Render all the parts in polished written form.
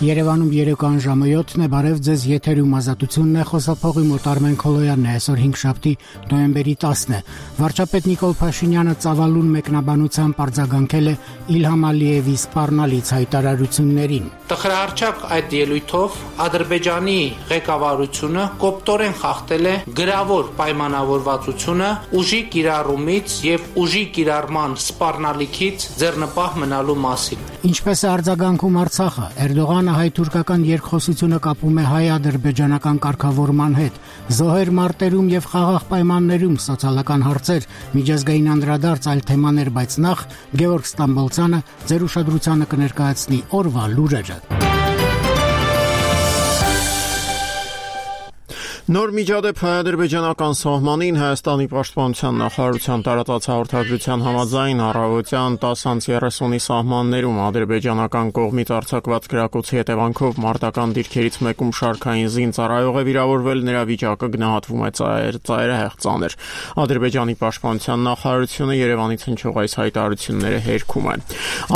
Երևանում երեկոյան ժամը 7-ն է, բարև ձեզ, եթերում ազատությունն է, խոսափողի մոտ Արմեն Քոլոյանն է, այսօր 5-շաբթի նոյեմբերի 10-ն է։ Վարչապետ Նիկոլ Փաշինյանը ծավալուն մեկնաբանությամբ արձագանքել է Իլհամ Ալիևի սպառնալից հայտարարություններին։ Տխրահարչակ այդ ելույթով Ադրբեջանի ղեկավարությունը կոպտորեն խախտել է գրավոր պայմանավորվածությունը ուժի կիրառումից եւ ուժի կիրառման սպառնալիքից ձեռնպահ մնալու մասին։ Ինչպես է արձագանքում Արցախը, Էրդողանը հայ-թուրքական երկխոսությունը կապում է հայ-ադրբեջանական կարգավորման հետ, զոհեր մարտերում եւ խաղաղ պայմաններում, սոցիալական հարցեր, միջազգային անդրադարձ այլ թեմաներ, բայց նախ Գևորգ Ստամբոլցյանը ձեր ուշադրությանը կներկայացնի օրվա լուրերը։ Նոր միջադեպ հայ-ադրբեջանական սահմանին Հայաստանի պաշտպանության նախարարության տարածած հաղորդագրության համաձայն առավոտյան 10:30-ի սահմաններում ադրբեջանական կողմից արձակված գրակոչի հետևանքով մարտական դիրքերից մեկում շարքային զինծառայող է վիրավորվել, նրա վիճակը գնահատվում է ծայրահեղ ծանր։ Ադրբեջանի պաշտպանության նախարարությունը Երևանից հնչող այս հայտարարությունները հերքում է։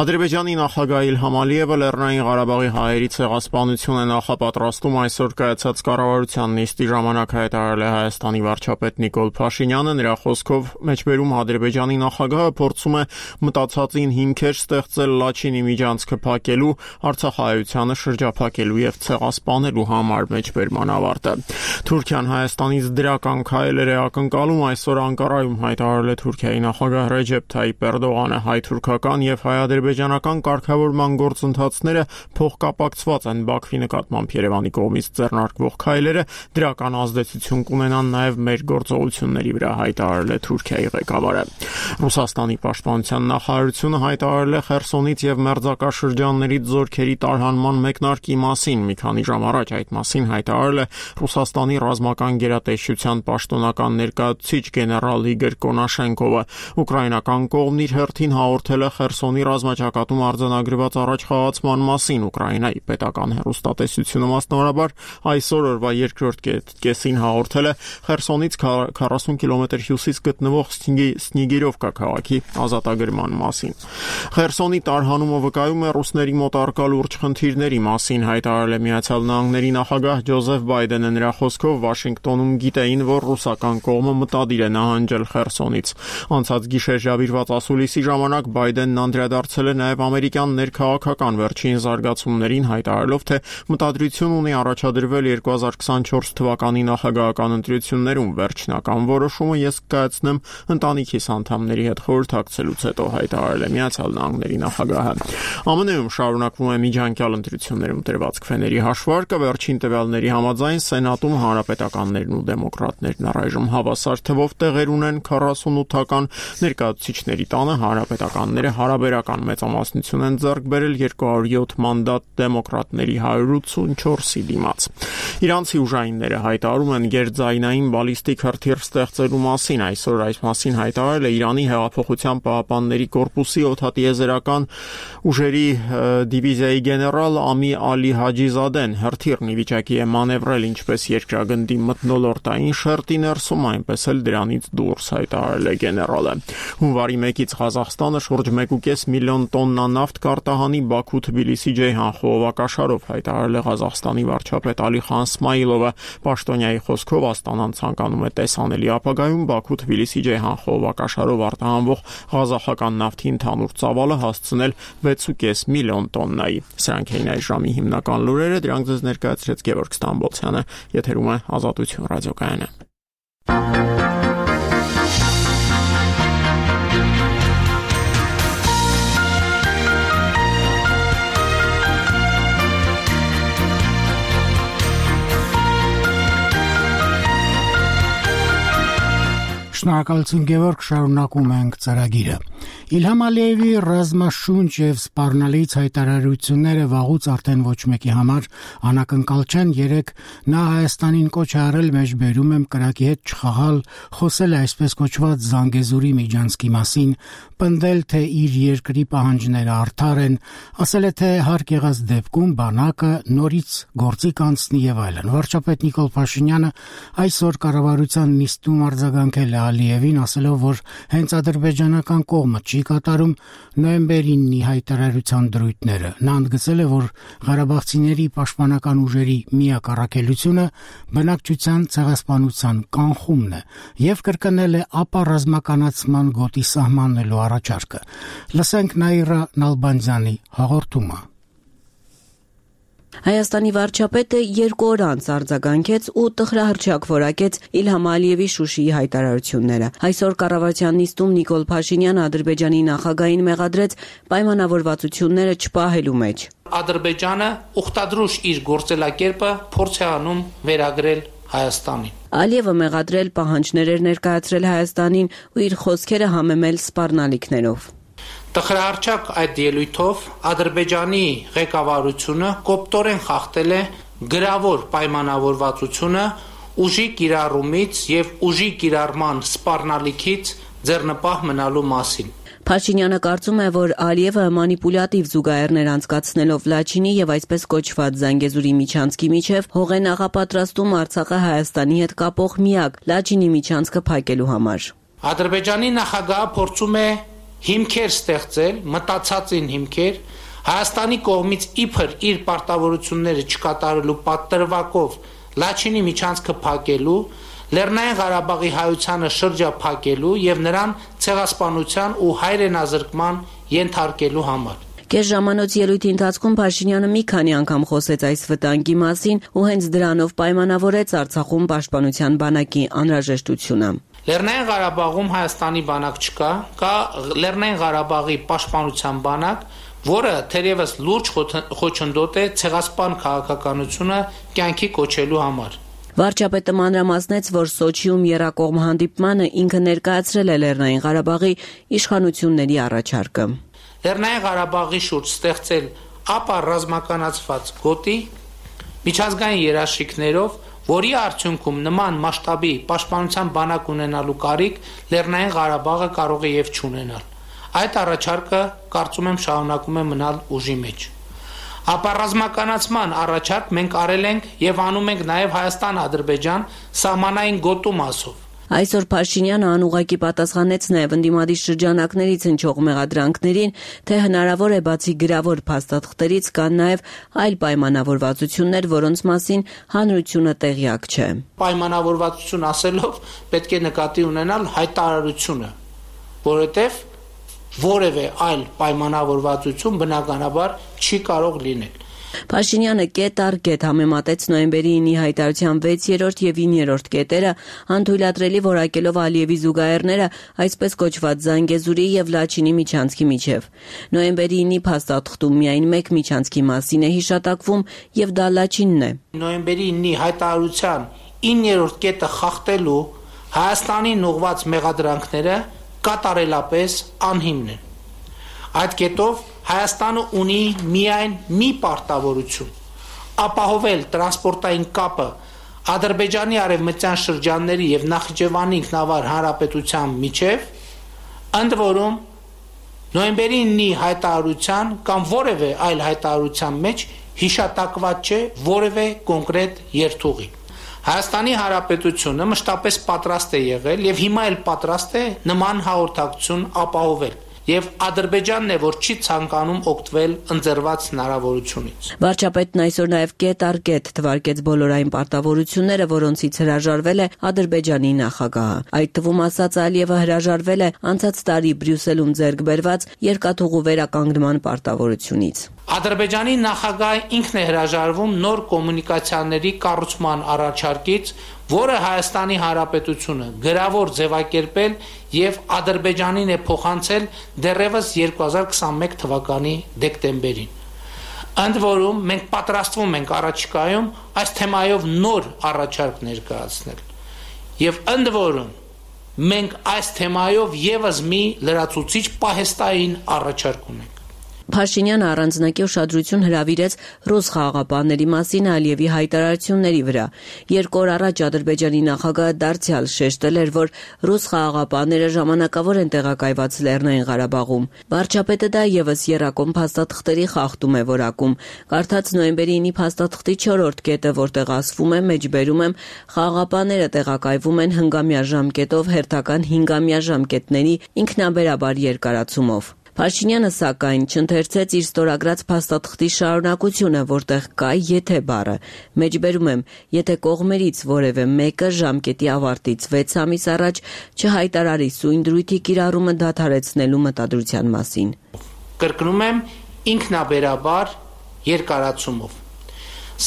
Ադրբեջանի նախագահ Իլհամ Ալիևը Լեռնային Ղարաբաղի հայերի ցեղասպանություն է նախապատրաստում այսօր կայացած կառավարության նիստի ժամանակ հայտարարել է Հայաստանի վարչապետ Նիկոլ Փաշինյանը, նրա խոսքով մեջբերում Ադրբեջանի նախագահը փորձում է մտածածին հիմքեր ստեղծել Լաչինի միջանցքը փակելու, Արցախահայությանը շրջափակելու եւ ցեղասպանելու համար մեջբերման ավարտը։ Թուրքիան Հայաստանից դրական քայլեր է ակնկալում, այսօր Անկարայում հայտարարել է Թուրքիայի նախագահ Ռեջեփ Թայիփ Էրդողանը, հայ-թուրքական եւ հայ-ադրբեջանական կարգավորման գործընթացները փոխկապակցված են Բաքվի նկատմամբ Երևանի կողմից ձեռնարկվող քայլերը դրական ազդեցություն կունենան նաև մեր գործողությունների վրա, հայտարարել է Թուրքիայի ղեկավարը։ Ռուսաստանի պաշտպանության նախարարությունը հայտարարել է Խերսոնից եւ մերձակաշրջաններից զորքերի տարհանման մեկնարկի մասին։ Մի քանի ժամ առաջ այդ մասին հայտարարել է Ռուսաստանի ռազմական գերատեսչության պաշտոնական ներկայացուցիչ գեներալ Իգոր Կոնաշենկովը։ Ուկրաինական կողմն իր հերթին հաղորդել է Խերսոնի ռազմաճակատում արձանագրված առաջխաղացման մասին։ Ուկրաինայի պետական հեռուստատեսությունը մասնավորաբար այսօր օրվա երկրորդ կեսին հաղորդել է Խերսոնից 40 կիլոմետր հյուսիս գտնվող Սնիգիրովկա քաղաքի ազատագրման մասին։ Խերսոնի տարհանումը վկայում է ռուսների մոտ առկա լուրջ խնդիրների մասին, հայտարարել է Միացյալ Նահանգների նախագահ Ջոզեֆ Բայդենը։ Նրա խոսքով Վաշինգտոնում գիտեին, որ ռուսական կողմը մտադիր է նահանջել Խերսոնից։ Անցած գիշեր ժավիրված ասուլիսի ժամանակ Բայդենն անդրադարձել է նաև ամերիկյան ներքաղաքական վերջին զարգացումներին, հայտարարելով, թե մտադրություն ունի առաջադրվել 2024 թվականի նախագահական ընտրություններում վերջնական որոշումը ես կայացնեմ ընտանիքիս անդամների հետ խորհրդակցելուց հետո, հայտարարել է Միացյալ Նահանգների նախագահը։ ԱՄՆ-ում շարունակվում է միջանկյալ ընտրություններում տրված քվեների հաշվարկը, վերջին տվյալների համաձայն Սենատում հանրապետականներն ու դեմոկրատներն առայժմ հավասար թվով տեղեր ունեն 48-ական, ներկայացուցիչների տանը հանրապետականները հարաբերական մեծամասնություն են ձեռք բերել 207 մանդատ դեմոկրատների 184-ի դիմաց։ Իրանցի ուժայինները հայտարարում են գերձայնային բալիստիկ հրթիռ ստեղծելու մասին։ Այսօր այս մասին հայտարարել է Իրանի Հեղափոխության պահապանների կորպուսի օդատիեզերական ուժերի դիվիզիայի գեներալ Ամի Ալի Հաջիզադեն։ Հրթիռն ի վիճակի է մանևրել ինչպես երկրագնդի մթնոլորտային շերտի ներսում, այնպես էլ դրանից դուրս, հայտարարել է գեներալը։ Հունվարի 1-ից Ղազախստանը շուրջ 1.5 միլիոն տոննա նավթ կարտահանի Բաքու-Թբիլիսի ջեյհան խողովակաշարով, հայտարարել է Ղազախստանի վարչապետ Ալիխան Սմայիլովը։ Պաշտոնյայի խոսքով Աստանան ցանկանում է տեսանելի ապագայում Բաքու-Թբիլիսի ջեյհան խողովակաշարով արտահանվող ղազախական նավթի ընդհանուր ծավալը հասցնել 6.5 միլիոն տոննայի։ Սրանք էին այս ժամի հիմնական լուրերը, դրանք ձեզ ներկայացրեց Գևորգ Ստամբոլցյանը, եթերում է Ազատություն ռադիոկայանը։ Շնորհակալություն Գևորգ, շարունակում ենք ծրագիրը։ Իլհամ Ալիևի ռազմաշունչ եւ սպառնալից հայտարարությունները վաղուց արդեն ոչ մեկի համար անակնկալ չեն։ Երեք նա Հայաստանին կոչ է արել մեջբերում եմ կրակի հետ չխաղալ, խոսել է այսպես կոչված Զանգեզուրի միջանցքի մասին, պնդել թե իր երկրի պահանջները արդար են, ասել է թե հարկ եղած դեպքում բանակը նորից գործի կանցնի եւ այլն։ Վարչապետ Նիկոլ Փաշինյանը այսօր կառավարության նիստում արձագանքել է Ալիևին, ասելով, որ հենց ադրբեջանական կողմը չի կատարում նոյեմբերի 9-ի հայտարարության դրույթները։ Նա ընդգծել է, որ ղարաբաղցիների պաշտպանական ուժերի միակ առաքելությունը բնակչության ցեղասպանության կանխումն է եւ կրկնել է ապա ռազմականացման գոտի սահմանելու առաջարկը։ Լսենք Նաիրա Նալբանդյանի հաղորդումը։ Հայաստանի վարչապետը 2 օր անց արձագանքեց ու տխրահռչակ որակեց Իլհամ Ալիևի Շուշիի հայտարարությունները։ Այսօր կառավարության նիստում Նիկոլ Փաշինյանը Ադրբեջանի նախագահին մեղադրեց պայմանավորվածությունները չպահելու մեջ։ Ադրբեջանը ուխտադրուժ իր գործելակերպը փորձ է անում վերագրել Հայաստանին։ Ալիևը մեղադրել պահանջներ էր ներկայացրել Հայաստանին ու իր խոսքերը համեմել սպառնալիքներով։ Տխրահռչակ այդ ելույթով Ադրբեջանի ղեկավարությունը կոպտորեն խախտել է գրավոր պայմանավորվածությունը ուժի կիրառումից եւ ուժի կիրառման սպառնալիքից ձեռնպահ մնալու մասին։ Փաշինյանը կարծում է, որ Ալիևը մանիպուլյատիվ զուգահեռներ անցկացնելով Լաչինի եւ այսպես կոչված Զանգեզուրի միջանցքի միջև հող է նախապատրաստում Արցախը Հայաստանի հետ կապող միակ Լաչինի միջանցքը փակելու համար։ Ադրբեջանի նախագահը փորձում է հիմքեր ստեղծել, մտածածին հիմքեր, Հայաստանի կողմից իբր իր պարտավորությունները չկատարելու պատրվակով Լաչինի միջանցքը փակելու, Լեռնային Ղարաբաղի հայությանը շրջափակելու եւ նրան ցեղասպանության ու հայրենազրկման ենթարկելու համար։ Կես ժամանոց ելույթի ընթացքում Փաշինյանը մի քանի անգամ խոսեց այս վտանգի մասին ու հենց դրանով պայմանավորեց Արցախում պաշտպանության բանակի անհրաժեշտությունը։ Լեռնային Ղարաբաղում Հայաստանի բանակ չկա, կա Լեռնային Ղարաբաղի պաշտպանության բանակ, որը թերևս լուրջ խոչընդոտ է ցեղասպան քաղաքականությունը կյանքի կոչելու համար։ Վարչապետը մանրամասնեց, որ Սոչիում եռակողմ հանդիպմանը ինքը ներկայացրել է Լեռնային Ղարաբաղի իշխանությունների առաջարկը։ Լեռնային Ղարաբաղի շուրջ ստեղծել ապա ռազմականացված գոտի միջազգային երաշխիքներով, որի արդյունքում նման մասշտաբի պաշտպանության բանակ ունենալու կարիք Լեռնային Ղարաբաղը կարող է եւ չունենալ։ Այդ առաջարկը կարծում եմ շարունակում է մնալ ուժի մեջ։ Ապա ռազմականացման առաջարկ մենք արել ենք եւ անում ենք նաեւ Հայաստան-Ադրբեջան սահմանային գոտու մասով։ Այսօր Փաշինյանը անուղղակի պատասխանեց նաև ընդդիմադիր շրջանակներից հնչող մեղադրանքներին, թե հնարավոր է բացի գրավոր փաստաթղթերից կան նաև այլ պայմանավորվածություններ, որոնց մասին հանրությունը տեղյակ չէ։ Պայմանավորվածություն ասելով պետք է նկատի ունենալ հայտարարությունը, որովհետև որևէ այլ պայմանավորվածություն բնականաբար չի կարող լինել։ Փաշինյանը կետ առ կետ համեմատեց նոյեմբերի 9-ի հայտարարության 6-րդ եւ 9-րդ կետերը, անթույլատրելի որակելով Ալիևի զուգահեռները այսպես կոչված Զանգեզուրի եւ Լաչինի միջանցքի միջև։ Նոյեմբերի 9-ի փաստաթղթում միայն մեկ միջանցքի մասին է հիշատակվում եւ դա Լաչինն է։ Նոյեմբերի 9-ի հայտարարության 9-րդ կետը խախտելու Հայաստանին ուղղված մեղադրանքները կատարելապես անհիմն են։ Այդ կետով Հայաստանը ունի միայն մի պարտավորություն՝ ապահովել տրանսպորտային կապը Ադրբեջանի արևմտյան շրջանների եւ Նախիջևանի ինքնավար հանրապետության միջև, ընդ որում նոյեմբերի 9-ի հայտարարության կամ որևէ այլ հայտարարության մեջ հիշատակված չէ որևէ կոնկրետ երթուղի։ Հայաստանի Հանրապետությունը մշտապես պատրաստ է եղել եւ հիմա էլ պատրաստ է նման հաղորդակցություն ապահովել։ Եվ Ադրբեջանն է, որ չի ցանկանում օգտվել ընձեռված հնարավորությունից։ Վարչապետն այսօր նաև կետ առ կետ թվարկեց բոլորային պարտավորությունները, որոնցից հրաժարվել է Ադրբեջանի նախագահը։ Այդ թվում ասաց Ալիևը հրաժարվել է անցած տարի Բրյուսելում ձեռք բերված երկաթուղու վերականգնման պարտավորությունից։ Ադրբեջանի նախագահը ինքն է հրաժարվում նոր կոմունիկացիաների կառուցման առաջարկից, որը Հայաստանի Հանրապետությունը գրավոր ձևակերպել եւ Ադրբեջանին է փոխանցել դեռևս 2021 թվականի դեկտեմբերին։ Ընդ որում մենք պատրաստվում ենք առաջիկայում այս թեմայով նոր առաջարկ ներկայացնել։ Եվ ընդ որում մենք այս թեմայով եւս մի լրացուցիչ պահեստային առաջարկ ունենք։ Փաշինյանը առանձնակի ուշադրություն հրավիրեց ռուս խաղաղապահների մասին Ալիևի հայտարարությունների վրա։ 2 օր առաջ Ադրբեջանի նախագահը դարձյալ շեշտել էր, որ ռուս խաղաղապահները ժամանակավոր են տեղակայված Լեռնային Ղարաբաղում։ Վարչապետը դա եւս եռակոմ փաստաթղթերի խախտում է որակում։ Կարդաց նոյեմբերի 9-ի փաստաթղթի 4-րդ կետը, որտեղ ասվում է, մեջբերում եմ, խաղաղապահները տեղակայվում են հնգամյա ժամկետով հերթական 5-ամյա ժամկետների ինքնաբերաբար երկարացումով։ Փաշինյանը սակայն չընթերցեց իր ստորագրած փաստաթղթի շարունակությունը, որտեղ կա եթե բառը։ Մեջբերում եմ, եթե կողմերից որևէ մեկը ժամկետի ավարտից 6 ամիս առաջ չհայտարարի սույն դրույթի կիրառումը դադարեցնելու մտադրության մասին։ Կրկնում եմ, ինքնաբերաբար երկարացումով։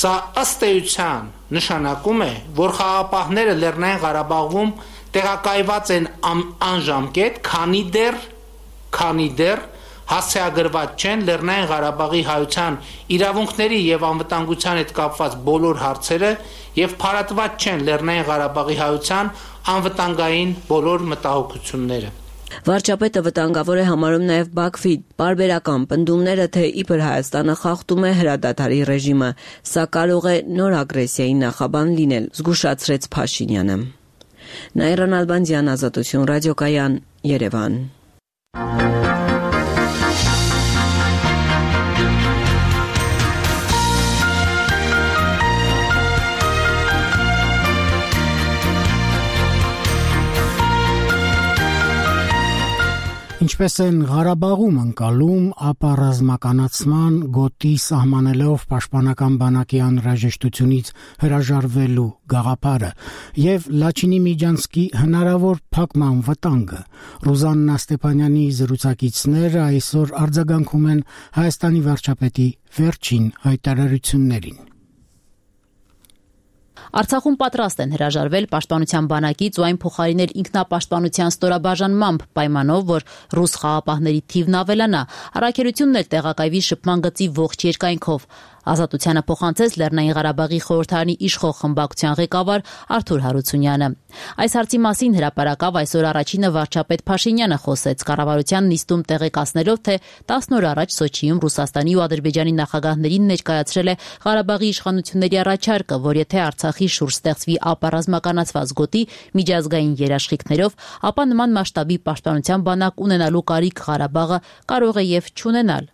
Սա ըստ էության նշանակում է, որ խաղաղապահները Լեռնային Ղարաբաղում տեղակայված են անժամկետ, քանի դեռ հասցեագրված չեն Լեռնային Ղարաբաղի հայության իրավունքների եւ անվտանգության հետ կապված բոլոր հարցերը եւ փարատված չեն Լեռնային Ղարաբաղի հայության անվտանգային բոլոր մտահոգությունները։ Վարչապետը վտանգավոր է համարում նաև Բաքվի պարբերական պնդումները, թե իբր Հայաստանը խախտում է հրադադարի ռեժիմը, սա կարող է նոր ագրեսիայի նախաբան լինել, զգուշացրեց Փաշինյանը։ Նաիրա Նալբանդյան, Ազատություն, ռադիոկայան, Երևան։ Ինչպես են Ղարաբաղում ընկալում, ապա ռազմականացման գոտի սահմանելով պաշտպանական բանակի անհրաժեշտությունից հրաժարվելու գաղափարը եւ Լաչինի Միջանցքի հնարավոր փակման վտանգը։ Ռուզաննա Ստեփանյանի զրուցակիցները այսօր արձագանքում են Հայաստանի վարչապետի վերջին հայտարարություններին։ Արցախում պատրաստ են հրաժարվել պաշտպանության բանակից ու այն փոխարինել ինքնապաշտպանության ստորաբաժանմամբ պայմանով, որ ռուս խաղաղապահների թիվն ավելանա, առաքելությունն էլ տեղակայվի շփման գծի ողջ երկայնքով։ Ազատությանը փոխանցեց Լեռնային Ղարաբաղի խորհրդարանի իշխող խմբակցության ղեկավար Արթուր Հարությունյանը։ Այս հարցի մասին հրապարակավ այսօր առաջինը վարչապետ Փաշինյանը խոսեց կառավարության նիստում տեղեկացնելով, թե 10 օր առաջ Սոչիում Ռուսաստանի ու Ադրբեջանի նախագահներին ներկայացրել է Ղարաբաղի իշխանությունների առաջարկը, որ եթե Արցախի շուրջ ստեղծվի ապառազմականացված գոտի միջազգային երաշխիքներով, ապա նման մասշտաբի պաշտպանության բանակ ունենալու կարիք Ղարաբաղը կարող է եւ չունենալ։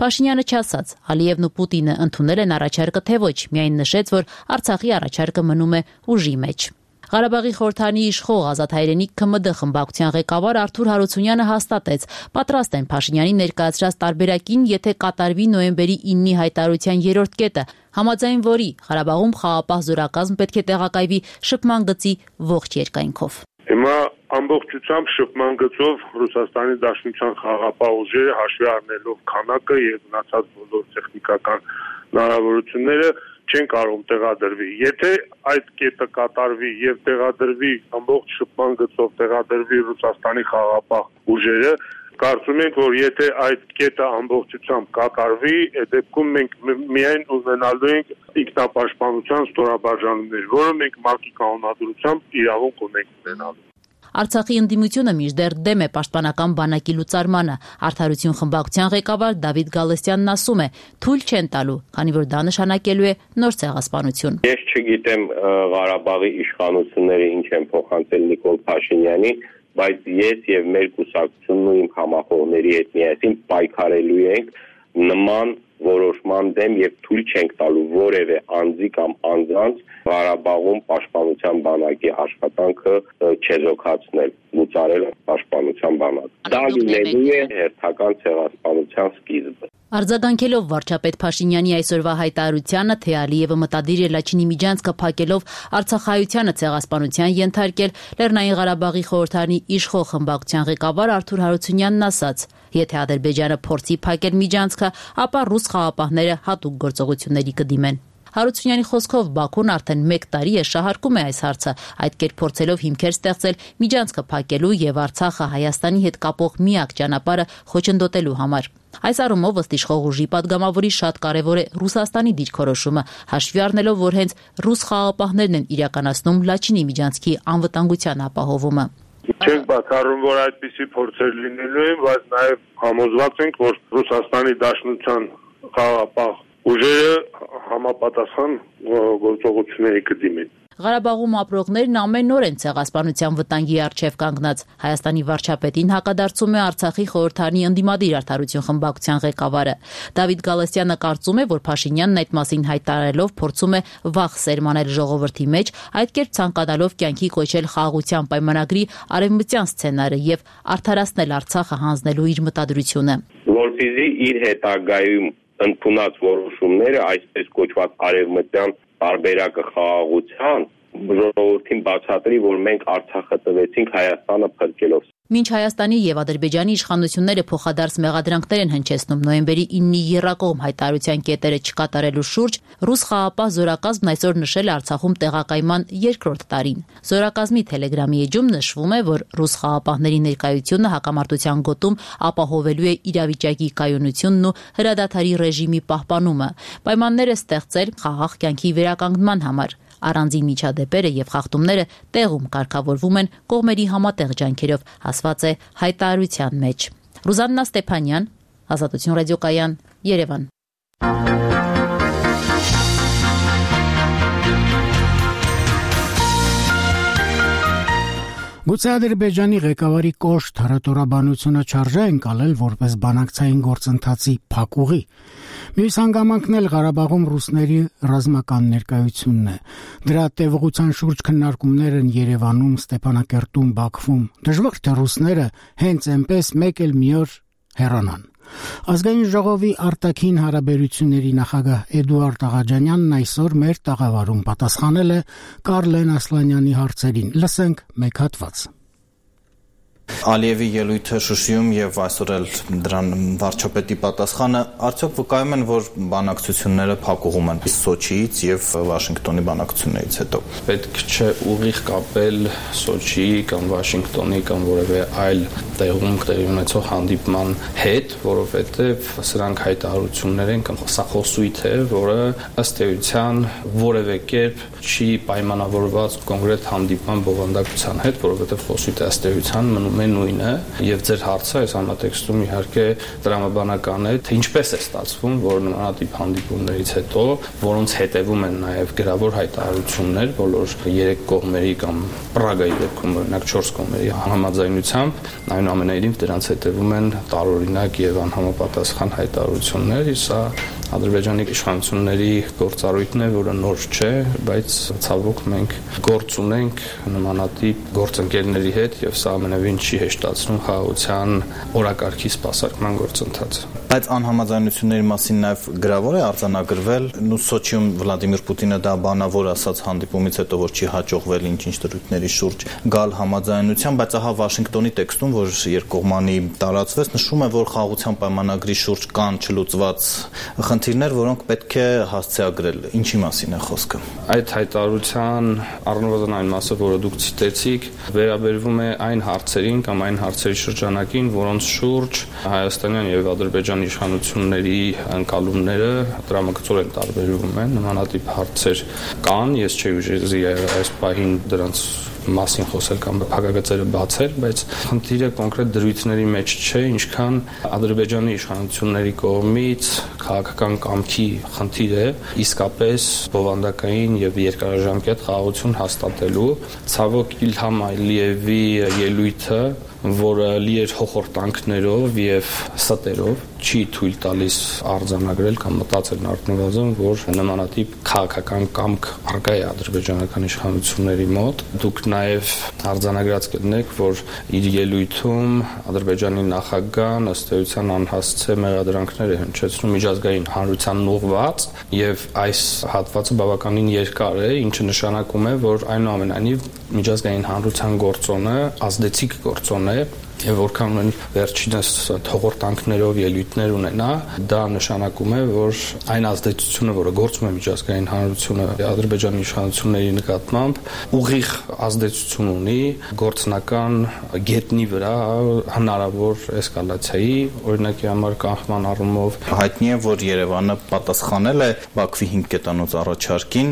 Փաշինյանը չասաց, Ալիևն ու Պուտինը ընդունել են առաջարկը թե ոչ, միայն նշեց, որ Արցախի առաջարկը մնում է ուժի մեջ։ Ղարաբաղի խորհրդարանի իշխող Ազատ Հայրենիք ՔՄԴ խմբակցության ղեկավար Արթուր Հարությունյանը հաստատեց, պատրաստ են Փաշինյանի ներկայացրած տարբերակին, եթե կատարվի նոյեմբերի 9-ի հայտարարության 3-րդ կետը, համաձայն որի Ղարաբաղում խաղաղապահ զորակազմ պետք է տեղակայվի շփման գծի ողջ երկայնքով։ Հիմա ամբողջությամբ շփման գծով Ռուսաստանի Դաշնության խաղաղապահ ուժերը հաշվի առնելով քանակը եւ մնացած բոլոր տեխնիկական հնարավորությունները չեն կարող տեղադրվի։ Եթե այդ կետը կատարվի եւ տեղադրվի ամբողջ շփման գծով տեղադրվի Ռուսաստանի խաղաղապահ ուժերը, կարծում ենք, որ եթե այդ կետը ամբողջությամբ կատարվի, այդ դեպքում մենք միայն ունենալու ենք ինքնապաշտպանության ստորաբաժանումներ, որը մենք ՄԱԿ-ի կանոնադրությամբ իրավունք ունենք ունենալու։ Արցախի ընդդիմությունը մինչդեռ դեմ է պաշտպանական բանակի լուծարմանը։ Արդարություն խմբակցության ղեկավար Դավիթ Գալստյանն ասում է, թույլ չեն տալու, քանի որ դա նշանակելու է նոր ցեղասպանություն։ Ես չգիտեմ Ղարաբաղի իշխանությունները ինչ են փոխանցել Նիկոլ Փաշինյանին, բայց ես եւ մեր կուսակցությունն ու իմ համախոհների հետ միասին պայքարելու ենք նման որոշման դեմ եւ թույլ չենք տալու որևէ անձի կամ անձանց Ղարաբաղում պաշտպանության բանակի աշխատանքը չեզոքացնել, լուծարել պաշտպանության բանակ։ Դա լինելու է հերթական ցեղասպանության սկիզբը։ Արձագանքելով վարչապետ Փաշինյանի այսօրվա հայտարարությանը, թե Ալիևը մտադիր է Լաչինի Միջանցքը փակելով Արցախայությանը ցեղասպանության ենթարկել, Լեռնային Ղարաբաղի խորհրդարանի իշխող խմբակցության ղեկավար Արթուր Հարությունյանն ասաց. Եթե Ադրբեջանը փորձի փակել Միջանցքը, ապա ռուս խաղաղապահները հատուկ գործողությունների կդիմեն։ Հարությունյանի խոսքով Բաքուն արդեն 1 տարի է շահարկում է այս հարցը, այդ կերպ փորձելով հիմքեր ստեղծել Միջանցքը փակելու եւ Արցախը Հայաստանի հետ կապող միակ ճանապարհը խոչընդոտելու համար։ Այս առումով ըստ իշխող ուժի падգամավորի շատ կարևոր է Ռուսաստանի դիրքորոշումը, հաշվի առնելով, որ հենց ռուս խաղաղապահներն են իրականացնում Լաչինի Միջանցքի անվտանգության ապահովումը։ Չենք բացառում, որ այդպիսի փորձեր լինելու են, բայց նաև համոզված ենք, որ Ռուսաստանի Դաշնության խաղաղապահ ուժերը համապատասխան գործողությունների կդիմեն։ Ղարաբաղում ապրողներն ամեն օր են ցեղասպանության վտանգի առջև կանգնած։ Հայաստանի վարչապետին հակադարձում է Արցախի խորհրդարանի ընդդիմադիր արդարություն խմբակցության ղեկավարը։ Դավիթ Գալստյանը կարծում է, որ Փաշինյանն այդ մասին հայտարարելով փորձում է վախ սերմանել ժողովրդի մեջ, այդ կերպ ցանկանալով կյանքի կոչել խաղաղության պայմանագրի արևմտյան սցենարը եւ արդարացնել Արցախը հանձնելու իր մտադրությունը։ Որպեսզի իր հետագայում ընդունած որոշումները, այսպես կոչված արևմտյան տարբերակը խաղաղության ժողովրդին բացատրի, որ մենք Արցախը տվեցինք Հայաստանը փրկելով։ Մինչ Հայաստանի եւ Ադրբեջանի իշխանությունները փոխադարձ մեղադրանքներ են հնչեցնում նոյեմբերի 9-ի եռակողմ հայտարարության կետերը չկատարելու շուրջ, ռուս խաղապահ զորակազմն այսօր նշել է Արցախում տեղակայման երկրորդ տարին։ Զորակազմի Թելեգրամի էջում նշվում է, որ ռուս խաղապահների ներկայությունը հակամարտության գոտում ապահովելու է իրավիճակի կայունությունն ու հրադադարի ռեժիմի պահպանումը, պայմաններ է ստեղծել խաղաղ կյանքի վերականգնման համար։ Առանձին միջադեպերը եւ խախտումները տեղում կարգավորվում են կողմերի համատեղ ջանքերով, ասված է հայտարարության մեջ։ Ռուզաննա Ստեփանյան, Ազատություն ռադիոկայան, Երևան։ Գուցե Ադրբեջանի ղեկավարի կոշտ հռետորաբանությունը չարժե ընկալել որպես բանակցային գործընթացի փակուղի։ Մյուս հանգամանքն էլ Ղարաբաղում ռուսների ռազմական ներկայությունն է։ Դրա տևողության շուրջ քննարկումներ են Երևանում, Ստեփանակերտում, Բաքվում։ Դժվար թե ռուսները հենց այնպես մեկ էլ մի օր հեռանան։ Ազգային ժողովի արտաքին հարաբերությունների նախագահ Էդուարդ Աղաջանյանն այսօր մեր տաղավարում պատասխանել է Կարլեն Ասլանյանի հարցերին։ Լսենք մեկ հատված։ Ալիևի ելույթը Շուշիում եւ այսօր էլ դրան վարչապետի պատասխանը արդյոք վկայում են, որ բանակցությունները փակուղում են Սոչիից եւ Վաշինգտոնի բանակցություններից հետո։ Պետք չէ ուղիղ կապել Սոչիի կամ Վաշինգտոնի կամ որևէ այլ տեղում տեղի ունեցող հանդիպման հետ, որովհետեւ սրանք հայտարարություններ են կամ սա խոսույթ է, որը ըստ էության որևէ կերպ չի պայմանավորված կոնկրետ հանդիպման բովանդակության հետ, որովհետեւ խոսույթը ըստ էության մնում է նույնը եւ ձեր հարցը այս համատեքստում իհարկե դրամաբանական է, թե ինչպես է ստացվում, որ նմանատիպ հանդիպումներից հետո, որոնց հետևում են նաեւ գրավոր հայտարարություններ բոլոր 3 կողմերի կամ Պրագայի դեպքում օրինակ 4 կողմերի համաձայնությամբ, այնուամենայնիվ դրանց հետևում են տարօրինակ եւ անհամապատասխան հայտարարություններ, սա Ադրբեջանի իշխանությունների գործառույթն է, որը նոր չէ, բայց ցավոք մենք գործ ունենք նմանատիպ գործընկերների հետ եւ սա ամենևին չի հեշտացնում խաղաղության օրակարգի սպասարկման գործընթացը։ Բայց անհամաձայնությունների մասին նաեւ գրավոր է արձանագրվել, Սոչիում Վլադիմիր Պուտինը դա բանավոր ասաց հանդիպումից հետո, որ չի հաջողվել ինչ-ինչ դրույթների շուրջ գալ համաձայնության, բայց ահա Վաշինգտոնի տեքստում, որ երկկողմանի տարածվեց, նշում է, որ խաղաղության պայմանագրի շուրջ կան չլուծված խնդիրներ, որոնք պետք է հասցեագրել։ Ինչի մասին է խոսքը։ Այդ հայտարարության առնվազն այն մասը, որը դուք ցիտեցիք, վերաբերվում է այն հարցերին կամ այն հարցերի շրջանակին, որոնց շուրջ հայաստանյան եւ ադրբեջանի իշխանությունների ընկալումները դրամագծորեն տարբերվում են։ Նմանատիպ հարցեր կան, ես չէի ուժի այս պահին դրանց մասին խոսել կամ փակագծերը բացել, բայց խնդիրը կոնկրետ դրույթների մեջ չէ, ինչքան Ադրբեջանի իշխանությունների կողմից քաղաքական կամքի խնդիր է, իսկապես բովանդակային եւ երկարաժամկետ խաղաղություն հաստատելու։ Ցավոք Իլհամ Ալիևի ելույթը, որը լի էր հոխորտանքներով եւ ստերով, չի թույլ տալիս արձանագրել կամ մտածել առնվազն, որ նմանատիպ քաղաքական կամք առկա է ադրբեջանական իշխանությունների մոտ։ Դուք նաեւ արձանագրած կլինեք, որ իր ելույթում Ադրբեջանի նախագահն ըստ էության անհասցե մեղադրանքներ է հնչեցնում միջազգային հանրությանն ուղղված եւ այս հատվածը բավականին երկար է, ինչը նշանակում է, որ այնուամենայնիվ միջազգային հանրության գործոնը ազդեցիկ գործոն է եւ որքան են վերջինս թողորտանքներով ելույթներ ունենա, դա նշանակում է, որ այն ազդեցությունը, որը գործում է միջազգային հանրությունը Ադրբեջանի իշխանությունների նկատմամբ, ուղիղ ազդեցություն ունի գործնական գետնի վրա հնարավոր էսկալացիայի, օրինակի համար կանխման առումով հայտնի է, որ Երևանը պատասխանել է Բաքվի 5 կետանոց առաջարկին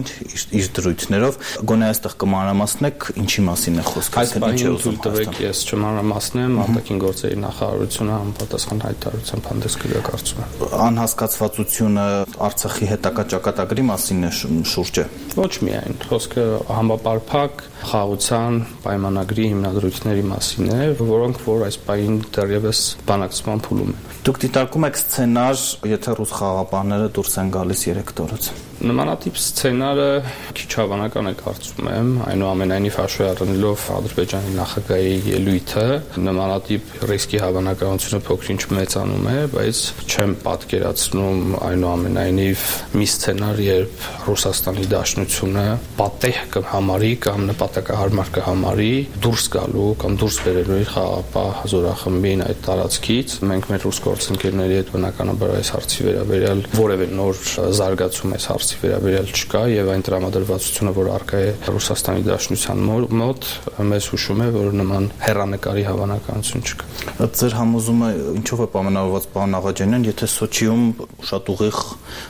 իր դրույթներով, գոնե այստեղ կմանրամասնեք ինչի մասին է խոսքը, այս բանը թույլ տվեք ես չմանրամասնեմ, արտաքին գործերի նախարարությունը համապատասխան հայտարարությամբ հանդես կգա կարծում եմ։ Անհասկացվածությունը Արցախի հետագա ճակատագրի մասին է շուրջը։ Ոչ միայն, խոսքը համապարփակ խաղաղության պայմանագրի հիմնադրույթների մասին է, որոնք որ այս պահին դեռևս բանակցման փուլում են։ Դուք դիտարկում եք սցենար, եթե ռուս խաղաղապահները դուրս են գալիս 3 օրից։ Նմանատիպ սցենարը քիչ հավանական է կարծում եմ, այնուամենայնիվ հաշվի առնելով Ադրբեջանի նախագահի ելույթը, նմանատիպ ռիսկի հավանականությունը փոքր-ինչ մեծանում է, բայց չեմ պատկերացնում այնուամենայնիվ մի սցենար, երբ Ռուսաստանի Դաշնությունը պատեհ կհամարի կամ նպատակահարմար կհամարի դուրս գալու կամ դուրս բերելու իր խաղաղապահ զորախմբին այդ տարածքից։ Մենք մեր ռուս գործընկերների հետ բնականաբար այս հարցի վերաբերյալ որևէ նոր զարգացում այս հարցի վերաբերյալ չկա եւ այն տրամադրվածությունը, որ առկա է Ռուսաստանի Դաշնության մոտ, մեզ հուշում է, որ նման հեռանկարի հավանականություն չկա։ Ձեր համոզումը ինչով է պայմանավորված, պարոն Աղաջանյան, եթե Սոչիում շատ ուղիղ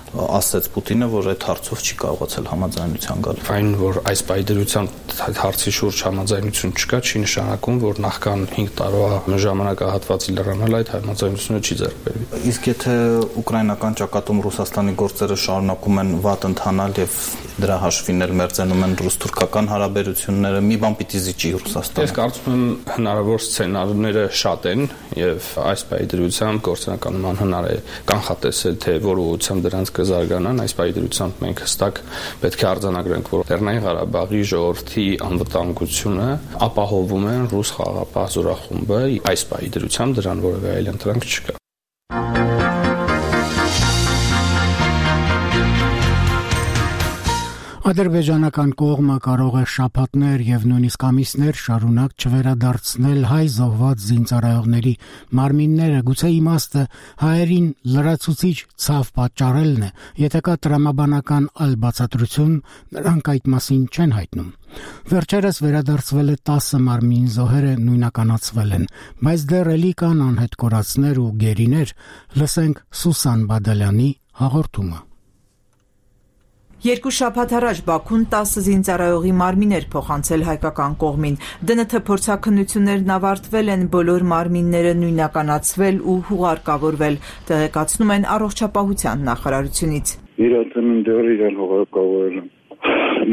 ասեց Պուտինը, որ այդ հարցով չի կարողացել համաձայնության գալ։ Այն, որ այս պայդրությամբ հարցի շուրջ համաձայնություն չկա, չի նշանակում, որ նախքան 5 տարվա ժամանակահատվածի լրանալ այդ համաձայնությունը չի ձեռք բերվի։ Իսկ եթե ուկրաինական ճակատում Ռուսաստանի գործերը շարունակում են վատ ընթանալ եւ դրա հաշվին էլ մերձենում են ռուս-թուրքական հարաբերությունները, մի բան պիտի զիջի Ռուսաստանը։ Ես կարծում եմ հնարավոր սցենարները շատ են եւ այս պայդրությամբ գործնական անհնար է կանխատեսել, թե որ ուղղությամբ դրանց կզարգանան։ Այս պայդրությամբ մենք հստակ պետք է արձանագրենք, որ Լեռնային Ղարաբաղի ժողովրդի անվտանգությունը ապահովում են ռուս խաղաղապահ զորախումբը, այս պայդրությամբ դրան որևէ այլ ընտրանք չկա։ Ադրբեջանական կողմը կարող է շաբաթներ եւ նույնիսկ ամիսներ շարունակ չվերադարձնել հայ զոհված զինծառայողների մարմինները, գուցե իմաստը հայերին լրացուցիչ ցավ պատճառելն է, եթե կա տրամաբանական այլ բացատրություն, նրանք այդ մասին չեն հայտնում։ Վերջերս վերադարձվել է 10 մարմին զոհերը նույնականացվել են, բայց դեռ էլի կան անհետ կորածներ ու գերիներ, լսենք Սուսան Բադալյանի հաղորդումը։ Երկու շաբաթ առաջ Բաքուն 10 զինծառայողի մարմիններ փոխանցել հայկական կողմին։ ԴՆԹ փորձաքննություններն ավարտվել են, բոլոր մարմինները նույնականացվել ու հուղարկավորվել, տեղեկացնում են առողջապահության նախարարությունից։ Իրացննդեր իրեն հուղարկավորել են։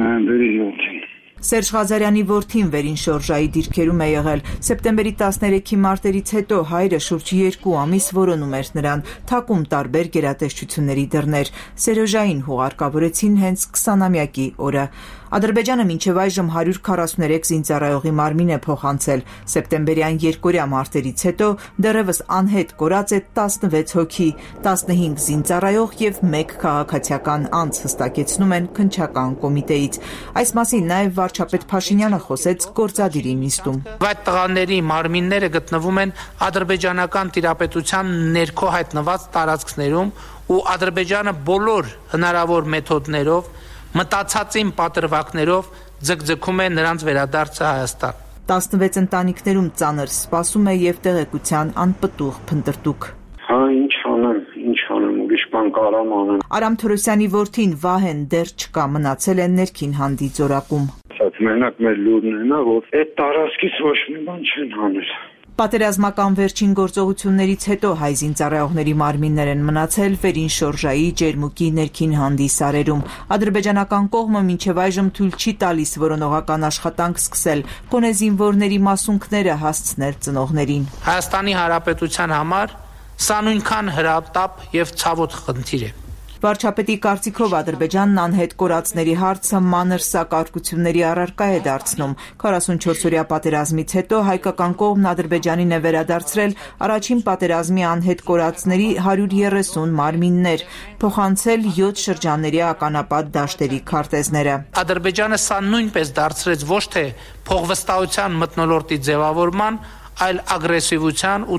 Նոյեմբերի 7-ին։ Սերժ Ղազարյանի որդին վերին շորժայի դիրքերում է եղել։ Սեպտեմբերի 13-ի մարտերից հետո հայրը շուրջ 2 ամիս որոնում էր նրան, թակում տարբեր գերատեսչությունների դռներ։ Սերոժային հուղարկավորեցին հենց 20-ամյակի օրը։ Ադրբեջանը մինչև այժմ 143 զինծառայողի մարմին է փոխանցել։ Սեպտեմբերյան երկօրյա մարտերից հետո դեռևս անհետ կորած է 16 հոգի, 15 զինծառայող եւ 1 քաղաքացիական անձ, հստակեցնում են քննչական կոմիտեից։ Այս մասին նաեւ վարչապետ Փաշինյանը խոսեց գործադիրի նիստում։ Այդ տղաների մարմինները գտնվում են ադրբեջանական տիրապետության ներքո հայտնված տարածքներում ու Ադրբեջանը բոլոր հնարավոր մեթոդներով մտածածին պատրվակներով ձգձգում է նրանց վերադարձը Հայաստան։ 16 ընտանիքներում ծանր սպասում է եւ տեղեկության անպտուղ փնտրտուք։ Ինչ անեմ, ուրիշ բան կարամ անեմ։ Արամ Թորոսյանի որդին Վահեն դեռ չկա, մնացել է ներքին հանդի ձորակում։ Մենակ մեր լուրն է, որ այդ տարածքից ոչ մի բան չեն անել։ Պատերազմական վերջին գործողություններից հետո հայ զինծառայողների մարմիններ են մնացել վերին շորժայի, Ջերմուկի ներքին հանդի սարերում։ Ադրբեջանական կողմը մինչև այժմ թույլ չի տալիս որոնողական աշխատանք սկսել, գոնե զինվորների մասունքները հասցնել ծնողներին։ Հայաստանի Հանրապետության համար սա նույնքան հրատապ եւ ցավոտ խնդիր է։ Վարչապետի կարծիքով Ադրբեջանն անհետ կորածների հարցը մանր սակարկությունների առարկա է դարձնում։ 44-օրյա պատերազմից հետո հայկական կողմն Ադրբեջանին է վերադարձրել առաջին պատերազմի անհետ կորածների 130 մարմիններ, փոխանցել 7 շրջանների ականապատ դաշտերի քարտեզները։ Ադրբեջանը սա նույնպես դարձրեց ոչ թե փողվստահության մթնոլորտի ձևավորման, այլ ագրեսիվության ու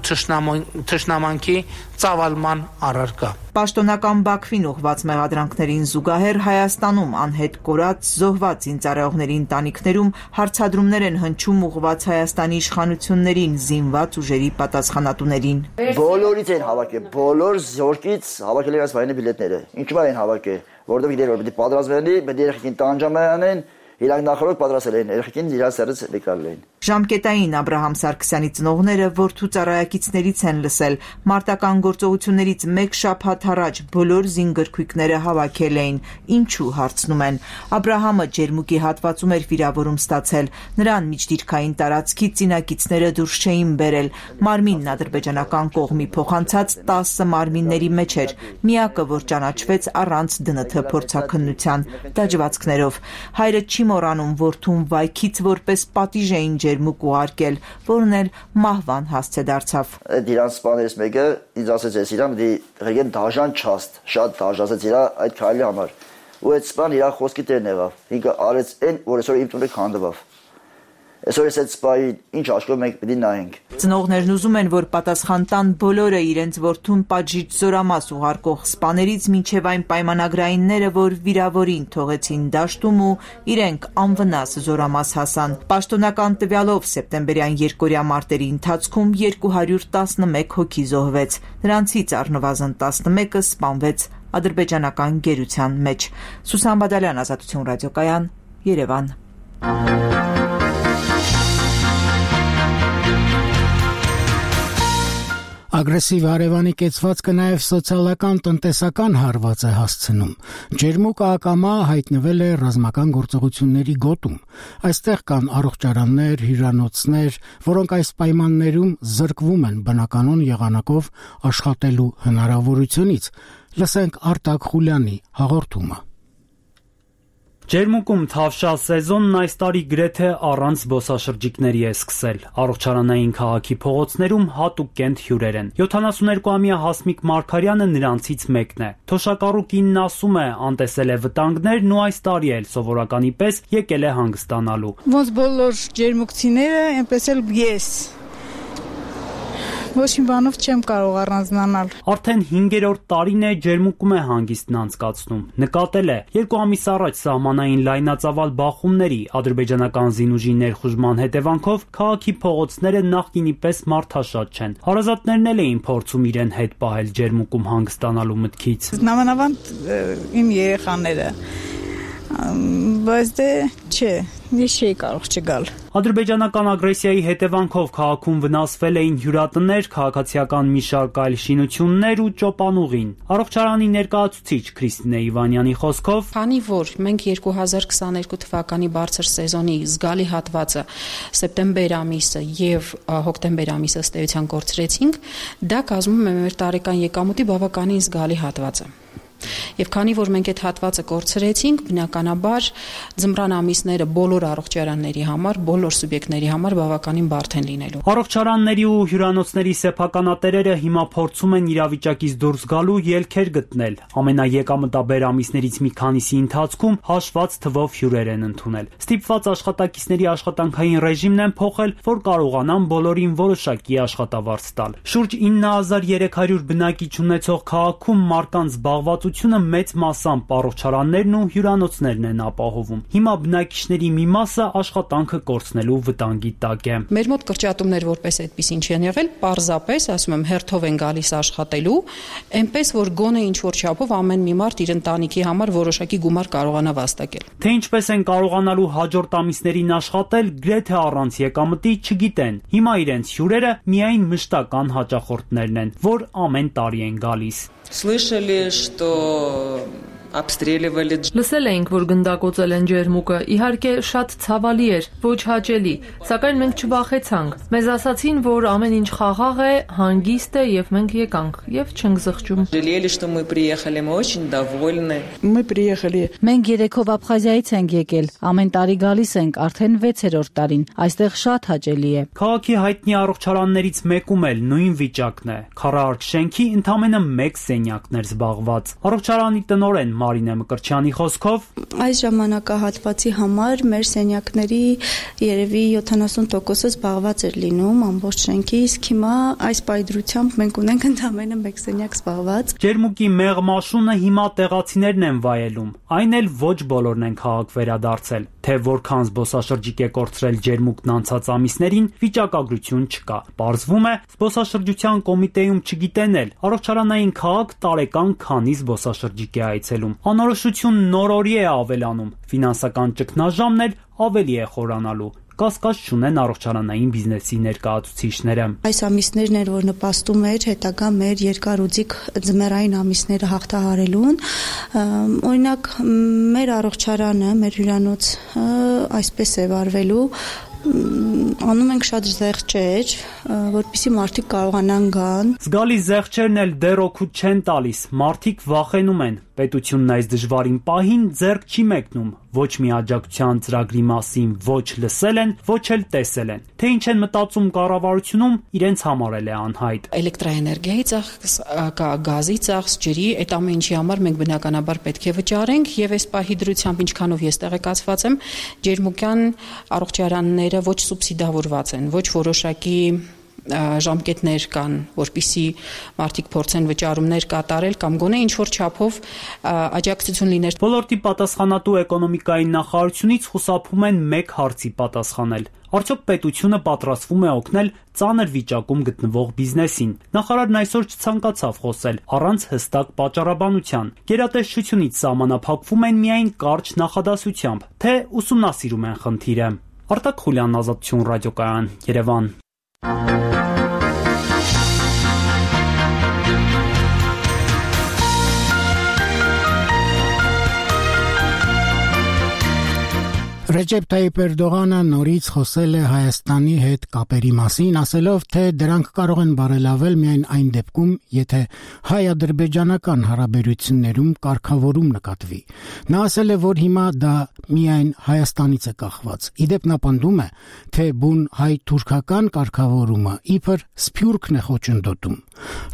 թշնամանքի ծավալման առարկա։ Պաշտոնական Բաքվին ուղղված մեղադրանքներին զուգահեռ Հայաստանում անհետ կորած զոհված զինծառայողների ընտանիքներում հարցադրումներ են հնչում ուղղված Հայաստանի իշխանություններին, զինված ուժերի պատասխանատուներին։ Բոլորից են հավաքել, բոլոր զորքից հավաքել են այս վայրենի բիլետները։ Ինչու՞ են հավաքել, որովհետև գիտեն որ պետք է պատրաստվեն, պետք է երեխեքին տանջամանեն, իրանք նախորդ պատրաստել են, երեխեքին իրար սերից եկալ են։ Ժամկետային Աբրահամ Սարգսյանի ծնողները որդու ծառայակիցներից են լսել, մարտական գործողություններից մեկ շաբաթ առաջ բոլոր զինգրքույկները հավաքել էին, ինչու հարցնում են։ Աբրահամը ջերմուկի հատվածում էր վիրավորում ստացել, նրան միջդիրքային տարածքի ծինակիցները դուրս չէին բերել, մարմինն ադրբեջանական կողմի փոխանցած 10 մարմինների մեջ էր, միակը, որ ճանաչվեց առանց ԴՆԹ փորձաքննության դաջվածքներով։ Հայրը չի մոռանում որդուն վայքից որպես պատիժ էին ջերմուկ ուղարկել, որն էլ մահվան հասցե դարձավ։ Իրանց սպաներից մեկը ինձ ասեց, ես իրան պետք է դաժան չաստ, շատ դաժացեց իրա այդ քայլի համար։ Ու այդ սպան իրա խոսքի տերն եղավ։ Ինքը արեց այն, որ այսօր իմ տունը քանդվավ։ Այսօր այս սպայի ինչ աշխով մենք պետք է նայենք։ Ծնողներն ուզում են, որ պատասխան տան բոլորը իրենց որդուն պատժիչ զորամաս ուղարկող սպաներից մինչև այն պայմանագրայինները, որ վիրավորին թողեցին դաշտում ու իրենք անվնաս զորամաս հասան։ Պաշտոնական տվյալով սեպտեմբերյան երկօրյա մարտերի ընթացքում 211 հոգի զոհվեց, նրանցից առնվազն 11-ը սպանվեց ադրբեջանական գերության մեջ։ Սուսան Բադալյան, Ազատություն ռադիոկայան, Երևան։ Ագրեսիվ հարևանի կեցվածքը նաև սոցիալական տնտեսական հարված է հասցնում։ Ջերմուկը ակամա հայտնվել է ռազմական գործողությունների գոտում։ Այստեղ կան առողջարաններ, հյուրանոցներ, որոնք այս պայմաններում զրկվում են բնականon եղանակով աշխատելու հնարավորությունից։ Լսենք Արտակ Խուլյանի հաղորդումը։ Ջերմուկում թավշյա սեզոնն այս տարի գրեթե առանց զբոսաշրջիկների է սկսել։ Առողջարանային քաղաքի փողոցներում հատուկ կենտ հյուրեր են։ 72-ամյա Հասմիկ Մարգարյանը նրանցից մեկն է։ Թոշակառու կինն ասում է, անտեսել է վտանգներն ու այս տարի էլ սովորականի պես եկել է հանգստանալու։ Ոնց բոլոր ջերմուկցիները, այնպես էլ ես։ Ոչ մի բանով չեմ կարող առանձնանալ։ Արդեն 5-րդ տարին է ջերմուկում է հանգիստն անցկացնում։ Նկատել է 2 ամիս առաջ սահմանային լայնածավալ բախումների ադրբեջանական զինուժի ներխուժման հետևանքով քաղաքի փողոցները նախկինի պես մարդաշատ չեն։ Հարազատներն էլ էին փորձում իրեն հետ պահել ջերմուկում հանգստանալու մտքից։ Նամանավանդ իմ երեխաները, բայց դե չէ, ես չէի կարող չգալ։ Ադրբեջանական ագրեսիայի հետևանքով քաղաքում վնասվել էին հյուրատներ, քաղաքացիական մի շարք այլ շինություններ ու ճոպանուղին։ Առողջարանի ներկայացուցիչ Քրիստինե Իվանյանի խոսքով, քանի որ մենք 2022 թվականի բարձր սեզոնի զգալի հատվածը սեպտեմբեր ամիսը եւ հոկտեմբեր ամիսը ըստ էության կորցրեցինք, դա կազմում է մեր տարեկան եկամուտի բավականին զգալի հատվածը։ Եվ քանի որ մենք այդ հատվածը կորցրեցինք, բնականաբար ձմռան ամիսները բոլոր առողջարանների համար, բոլոր սուբյեկտների համար բավականին բարդ են լինելու։ Առողջարանների ու հյուրանոցների սեփականատերերը հիմա փորձում են իրավիճակից դուրս գալու ելքեր գտնել։ Ամենաեկամտաբեր ամիսներից մի քանիսի ընթացքում հաշված թվով հյուրեր են ընդունել։ Ստիպված աշխատակիցների աշխատանքային ռեժիմն են փոխել, որ կարողանան բոլորին որոշակի աշխատավարձ տալ։ Շուրջ 9300 բնակիչ ունեցող քաղաքում մարդկանց զբաղվածությունը մեծ մասամբ առողջարաններն ու հյուրանոցներն են ապահովում։ Հիմա բնակիչների մի մասը աշխատանքը կորցնելու վտանգի տակ է։ Մեր մոտ կրճատումներ որպես այդպեսին չեն եղել, պարզապես, ասում եմ, հերթով են գալիս աշխատելու, այնպես որ գոնե ինչ որ չափով ամեն մի մարդ իր ընտանիքի համար որոշակի գումար կարողանա վաստակել։ Թե ինչպես են կարողանալու հաջորդ ամիսներին աշխատել, գրեթե առանց եկամտի չգիտեն։ Հիմա իրենց հյուրերը միայն մշտական հաճախորդներն են, որ ամեն տարի են գալիս։ Слышали, что обстреливали. Լսել էինք, որ գնդակոծել են ջերմուկը, իհարկե շատ ցավալի էր, ոչ հաճելի, սակայն մենք չվախեցանք։ Մեզ ասացին, որ ամեն ինչ խաղաղ է, հանգիստ է եւ մենք եկանք եւ չենք զղջում։ Жалели, что мы приехали, мы очень довольны. Мы приехали. Մենք երեքով Աբխազիայից ենք եկել, ամեն տարի գալիս ենք, արդեն 6-րդ տարին, այստեղ շատ հաճելի է։ Քաղաքի հայտնի առողջարաններից մեկում էլ նույն վիճակն է։ Քառարկ շենքի ընդամենը 1 սենյակն էր զբաղված։ Առողջարանի տնօրեն Մարինե Մկրտչյանի խոսքով, Այս ժամանակահատվածի համար մեր սենյակների երևի 70%-ը զբաղված էր լինում ամբողջ շենքի, իսկ հիմա այս պայծրությամբ մենք ունենք ընդամենը մեկ սենյակ զբաղված։ Ջերմուկի մեղմաշունը հիմա տեղացիներն են վայելում, այն էլ ոչ բոլորն են քաղաք վերադարձել, թե որքան զբոսաշրջիկ է կորցրել ջերմուկն անցած ամիսներին, վիճակագրություն չկա։ Պարզվում է, զբոսաշրջության կոմիտեում չգիտեն էլ, առողջարանային քաղաք տարեկան քանի զբոսաշրջիկ է այցելում։ Անորոշություն նոր-օրի է ավելանում, ֆինանսական ճգնաժամն էլ ավելի է խորանալու։ Կասկած չունեն առողջարանային բիզնեսի ներկայացուցիչները։ Այս ամիսներն էր, որ նպաստում էր հետագա մեր երկարուձիգ ձմեռային ամիսները հաղթահարելուն։ Օրինակ, մեր առողջարանը, մեր հյուրանոցը այսպես է վարվելու, անում ենք շատ զեղչեր, որպեսզի մարդիկ կարողանան գան։ Զգալի զեղչերն էլ դեռ օգուտ չեն տալիս, մարդիկ վախենում են։ Պետությունն այս դժվարին պահին ձեռք չի մեկնում, ոչ մի աջակցության ծրագրի մասին ոչ լսել են, ոչ էլ տեսել են։ Թե ինչ են մտածում կառավարությունում, իրենց համար էլ է անհայտ։ Էլեկտրաէներգիայի ծախս, գազի ծախս, ջրի, այդ ամեն ինչի համար մենք բնականաբար պետք է վճարենք, եւ այս պահի դրությամբ ինչքանով ես տեղեկացված եմ, ջերմուկյան առողջարանները ոչ սուբսիդավորված են, ոչ որոշակի ժամկետներ կան, որպիսի մարդիկ փորձեն վճարումներ կատարել կամ գոնե ինչ-որ չափով աջակցություն լիներ։ Ոլորտի պատասխանատու էկոնոմիկայի նախարարությունից խուսափում են մեկ հարցի պատասխանել։ Արդյոք պետությունը պատրաստվում է օգնել ծանր վիճակում գտնվող բիզնեսին։ Նախարարն այսօր չցանկացավ խոսել առանց հստակ պատճառաբանության։ Գերատեսչությունից սահմանափակվում են միայն կարճ նախադասությամբ, թե ուսումնասիրում են խնդիրը։ Արտակ Խուլյան, Ազատություն ռադիոկայան, Երևան։ Ռեջեփ Թայիպ Էրդողանը նորից խոսել է Հայաստանի հետ կապերի մասին, ասելով, թե դրանք կարող են բարելավել միայն այն դեպքում, եթե հայ-ադրբեջանական հարաբերություններում կարգավորում նկատվի։ Նա ասել է, որ հիմա դա միայն Հայաստանից է կախված։ Իդեպ նա պնդում է, թե բուն հայ-թուրքական կարգավորումը իբր սփյուռքն է խոչընդոտում։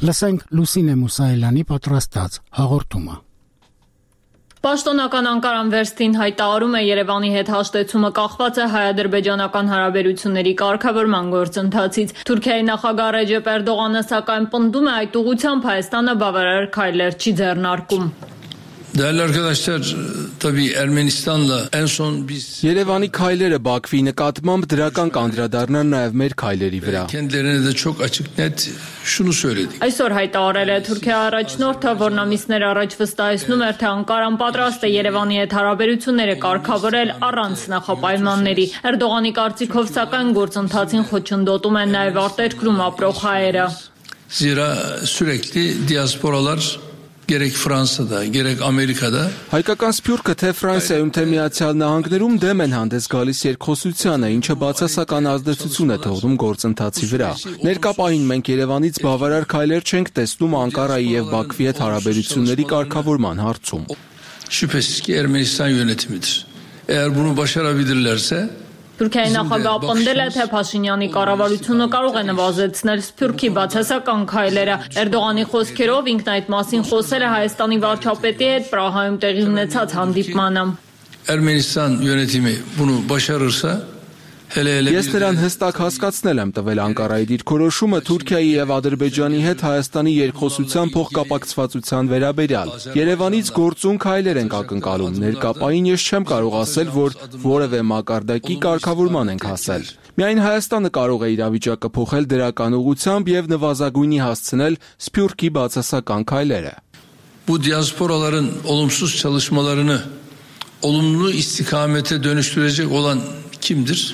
Լսենք Լուսինե Մուսայելյանի պատրաստած հաղորդումը։ Պաշտոնական Անկարան վերստին հայտարարում է Երևանի հետ հաշտեցումը կախված է հայ-ադրբեջանական հարաբերությունների կարգավորման գործընթացից։ Թուրքիայի նախագահ Ռեջեփ Էրդողանը սակայն պնդում է այդ ուղղությամբ Հայաստանը բավարար քայլեր չի ձեռնարկում։ Değerli arkadaşlar, tabii Ermenistan'la en son biz Երևանի քայլերը Բաքվի նկատմամբ դրական կանդրադառնան նաև մեր քայլերի վրա։ Kendilerine de çok açık net şunu söyledik. Այսօր հայտարարել է Թուրքիա առաջնորդը, որն ամիսներ առաջ վստահեցնում էր, թե Անկարան պատրաստ է Երևանի հետ հարաբերությունները կարգավորել առանց նախապայմանների։ Էրդողանի կարծիքով սակայն գործընթացին խոչընդոտում են նաև արտերկրում ապրող հայերը։ Zira sürekli diasporalar gerek Fransa'da, gerek Amerika'da Հայկական սփյուռքը թե Ֆրանսիայում, թե Միացյալ Նահանգներում դեմ են հանդես գալիս երկխոսությանը, ինչը բացասական ազդեցություն է թողնում գործընթացի վրա։ Ներկա պահին մենք Երևանից բավարար քայլեր չենք տեսնում Անկարայի եւ Բաքվի հետ հարաբերությունների կարգավորման հարցում։ Şüphesiz ki Ermenistan yönetimidir. Eğer bunu başarabilirlerse Թուրքիայի նախագահը պնդել է, թե Փաշինյանի կառավարությունը կարող է նվազեցնել Սփյուռքի բացասական քայլերը։ Էրդողանի խոսքերով ինքն այդ մասին խոսել է Հայաստանի վարչապետի հետ Պրահայում տեղի ունեցած հանդիպմանը։ Ermenistan yönetimi bunu başarırsa Ես նրան հստակ հասկացնել եմ տվել Անկարայի դիրքորոշումը Թուրքիայի եւ Ադրբեջանի հետ Հայաստանի երկխոսության փոխկապակցվածության վերաբերյալ։ Երևանից գործուն քայլեր ենք ակնկալում։ Ներկապային ես չեմ կարող ասել, որ որևէ մակարդակի կարգավորման ենք հասել։ Միայն Հայաստանը կարող է իրավիճակը փոխել դրական ուղղությամբ եւ նվազագույնի հասցնել Սփյուռքի բացասական քայլերը։ Bu diasporaların olumsuz çalışmalarını olumlu istikamete dönüştürecek olan kimdir?